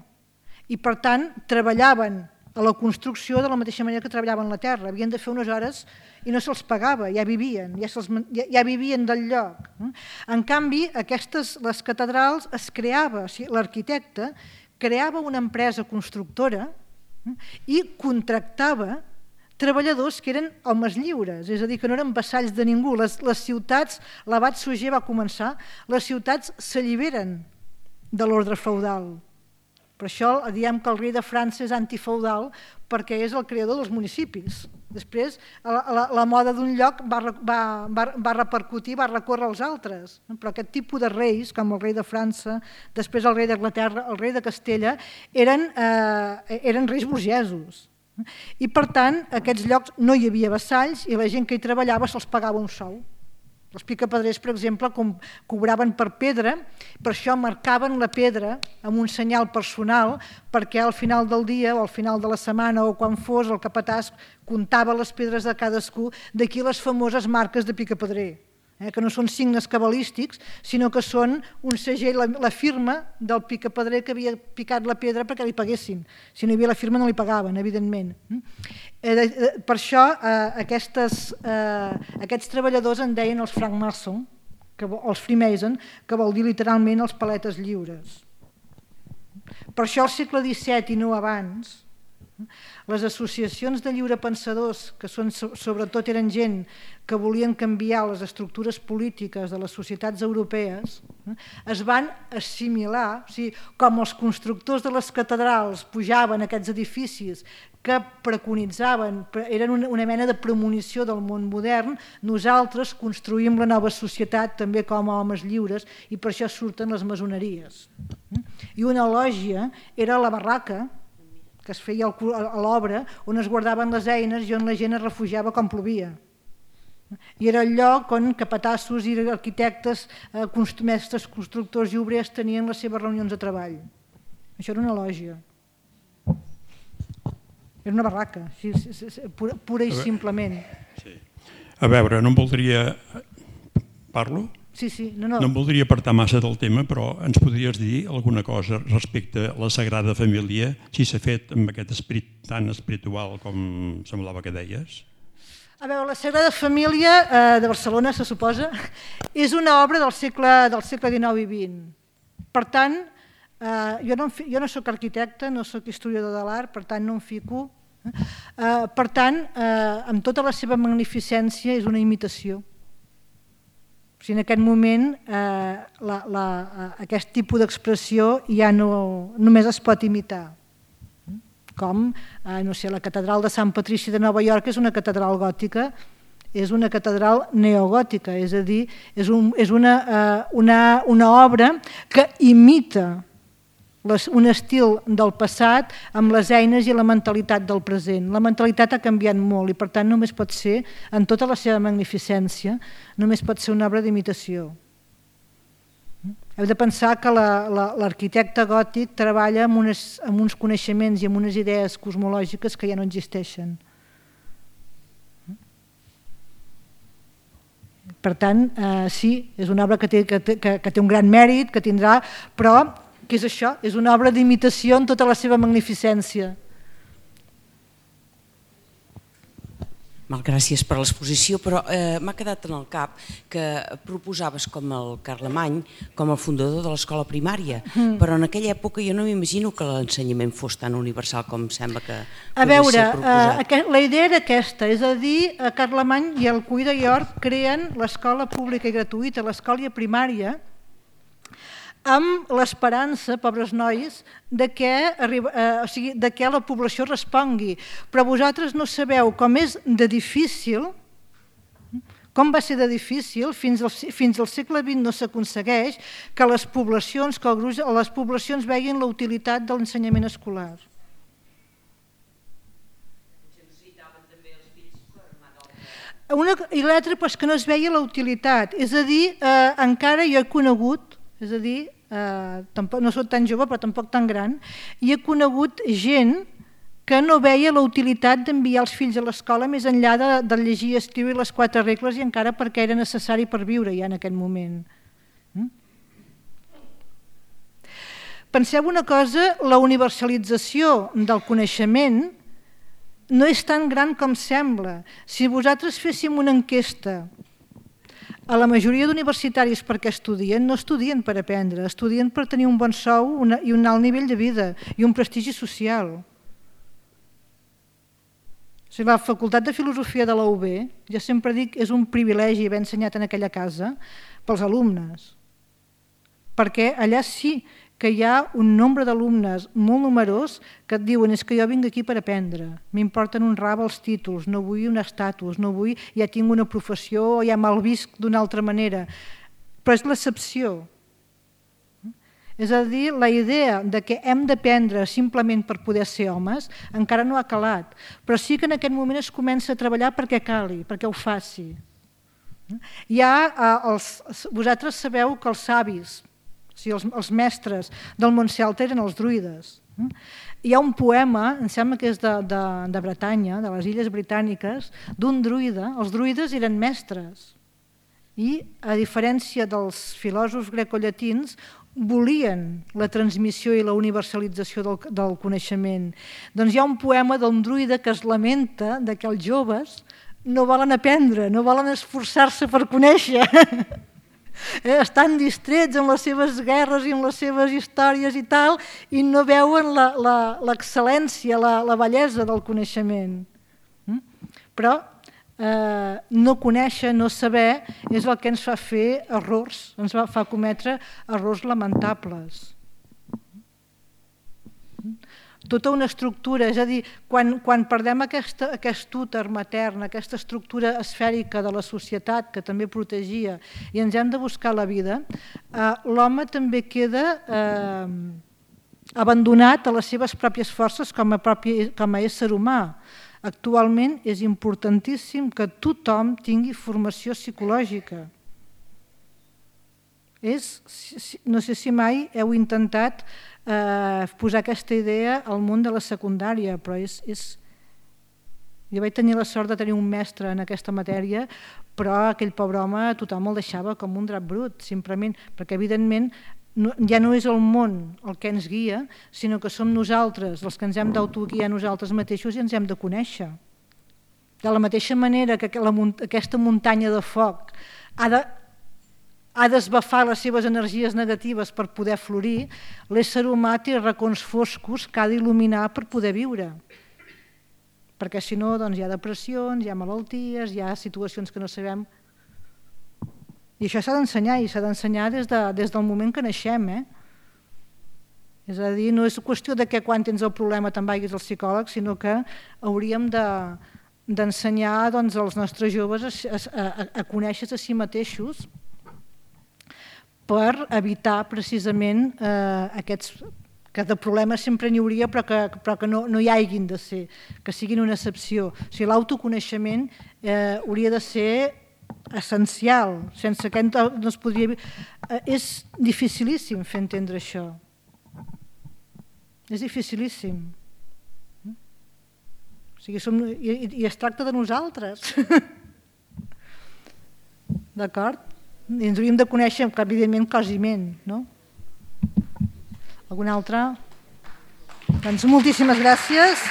i, per tant, treballaven a la construcció de la mateixa manera que treballaven la terra. Havien de fer unes hores i no se'ls pagava, ja vivien, ja, ja, ja vivien del lloc. En canvi, aquestes, les catedrals es creava, o sigui, l'arquitecte creava una empresa constructora i contractava treballadors que eren homes lliures, és a dir, que no eren vassalls de ningú. Les, les ciutats, l'abat Suger va començar, les ciutats s'alliberen de l'ordre feudal. Per això diem que el rei de França és antifeudal, perquè és el creador dels municipis. Després, la, la, la moda d'un lloc va, va, va, va repercutir, va recórrer als altres. Però aquest tipus de reis, com el rei de França, després el rei d'Anglaterra, el rei de Castella, eren, eh, eren reis burgesos. I, per tant, a aquests llocs no hi havia vassalls i la gent que hi treballava se'ls pagava un sou. Els picapedrers, per exemple, cobraven per pedra, per això marcaven la pedra amb un senyal personal perquè al final del dia o al final de la setmana o quan fos el capatàs comptava les pedres de cadascú, d'aquí les famoses marques de picapedrer, que no són signes cabalístics, sinó que són un segell, la firma del picapedrer que havia picat la pedra perquè li paguessin. Si no hi havia la firma no li pagaven, evidentment. Per això aquests treballadors en deien els francmaçons, els freemason, que vol dir literalment els paletes lliures. Per això al segle disset i no abans, les associacions de lliurepensadors, que són, sobretot eren gent que volien canviar les estructures polítiques de les societats europees, es van assimilar, o sigui, com els constructors de les catedrals pujaven a aquests edificis que preconitzaven, eren una mena de premonició del món modern, nosaltres construïm la nova societat també com a homes lliures i per això surten les maçoneries. I una lògia era la barraca, que es feia a l'obra, on es guardaven les eines i on la gent es refugiava quan plovia. I era el lloc on capatassos i arquitectes, mestres, constructors i obrers tenien les seves reunions de treball. Això era una lògia. Era una barraca, pura i simplement. A veure, no em voldria... Parlo? Sí, sí, no, no. No em voldria apartar massa del tema, però ens podries dir alguna cosa respecte a la Sagrada Família, si s'ha fet amb aquest esperit tan espiritual com semblava que deies? A veure, la Sagrada Família de Barcelona, se suposa, és una obra del segle dinou i vint. Per tant, jo no soc arquitecte, no soc historiador de l'art, per tant no em fico. Per tant, amb tota la seva magnificència és una imitació. O sigui, en aquest moment aquest tipus d'expressió ja només es pot imitar. Com, no sé, la catedral de Sant Patrici de Nova York és una catedral gòtica, és una catedral neogòtica, és a dir, és una obra que imita un estil del passat amb les eines i la mentalitat del present. La mentalitat ha canviat molt i per tant només pot ser, en tota la seva magnificència, només pot ser una obra d'imitació. Heu de pensar que l'arquitecte gòtic treballa amb uns coneixements i amb unes idees cosmològiques que ja no existeixen. Per tant, sí, és una obra que té un gran mèrit, que tindrà, però què és això? És una obra d'imitació en tota la seva magnificència. Gràcies per l'exposició, però m'ha quedat en el cap que proposaves com el Carlemany com el fundador de l'escola primària, però en aquella època jo no m'imagino que l'ensenyament fos tan universal com sembla que podria ser proposat. A veure, la idea era aquesta, és a dir, Carlemany i el Cuí de York creen l'escola pública i gratuïta, l'escola primària, amb l'esperança, pobres nois, que la població respongui. Però vosaltres no sabeu com és de difícil, com va ser de difícil, fins al segle vint no s'aconsegueix que les poblacions veien la utilitat de l'ensenyament escolar. I l'altre és que no es veia la utilitat, és a dir, encara jo he conegut, és a dir, no soc tan jove però tampoc tan gran, i he conegut gent que no veia la utilitat d'enviar els fills a l'escola més enllà de, de llegir, escriure les quatre regles i encara perquè era necessari per viure ja en aquest moment. Penseu una cosa, la universalització del coneixement no és tan gran com sembla. Si vosaltres féssim una enquesta a la majoria d'universitaris per què estudien, no estudien per aprendre, estudien per tenir un bon sou i un alt nivell de vida i un prestigi social. O sigui, la Facultat de Filosofia de la U B, ja sempre dic, és un privilegi haver ensenyat en aquella casa pels alumnes, perquè allà sí que hi ha un nombre d'alumnes molt numerós que et diuen és que jo vinc aquí per aprendre, m'importen un rave els títols, no vull un estatus, no vull, ja tinc una professió o ja me'l visc d'una altra manera. Però és l'excepció. És a dir, la idea de que hem d'aprendre simplement per poder ser homes encara no ha calat, però sí que en aquest moment es comença a treballar perquè cali, perquè ho faci. Hi ha, els, vosaltres sabeu que els savis, o sigui, els, els mestres del món celta eren els druides. Hi ha un poema, em sembla que és de, de, de Bretanya, de les Illes Britàniques, d'un druida. Els druides eren mestres i, a diferència dels filòsofs grecollatins, volien la transmissió i la universalització del, del coneixement. Doncs hi ha un poema d'un druida que es lamenta que els joves no volen aprendre, no volen esforçar-se per conèixer. Estan distrets en les seves guerres i en les seves històries i tal, i no veuen l'excel·lència, la, la, la bellesa del coneixement. Però eh, no conèixer, no saber, és el que ens fa fer errors, ens fa cometre errors lamentables. Tota una estructura, és a dir, quan, quan perdem aquesta, aquest úter matern, aquesta estructura esfèrica de la societat que també protegia i ens hem de buscar la vida, eh, l'home també queda eh, abandonat a les seves pròpies forces com a, propi, com a ésser humà. Actualment és importantíssim que tothom tingui formació psicològica. És, no sé si mai heu intentat eh, posar aquesta idea al món de la secundària, però és, és... Jo vaig tenir la sort de tenir un mestre en aquesta matèria, però aquell pobre home tothom el deixava com un drap brut, simplement, perquè evidentment no, ja no és el món el que ens guia, sinó que som nosaltres els que ens hem d'autoguiar nosaltres mateixos i ens hem de conèixer. De la mateixa manera que la, aquesta muntanya de foc ha de ha d'esbafar les seves energies negatives per poder florir, l'ésser humà té racons foscos que ha d'il·luminar per poder viure. Perquè si no, doncs hi ha depressions, hi ha malalties, hi ha situacions que no sabem. I això s'ha d'ensenyar, i s'ha d'ensenyar des, de, des del moment que naixem. Eh? És a dir, no és qüestió de que quan tens el problema te'n vagis al psicòleg, sinó que hauríem de, d'ensenyar doncs, als nostres joves a, a, a conèixer-se a si mateixos, per evitar precisament eh, aquests, que de problemes sempre n'hi hauria però que, però que no, no hi haguin de ser, que siguin una excepció. O sigui, l'autoconeixement eh, hauria de ser essencial, sense que no es podria... Eh, és dificilíssim fer entendre això. És dificilíssim. O sigui, som, i, i es tracta de nosaltres. D'acord? I ens hauríem de conèixer, evidentment, cosiment, no? Alguna altra? Doncs moltíssimes gràcies.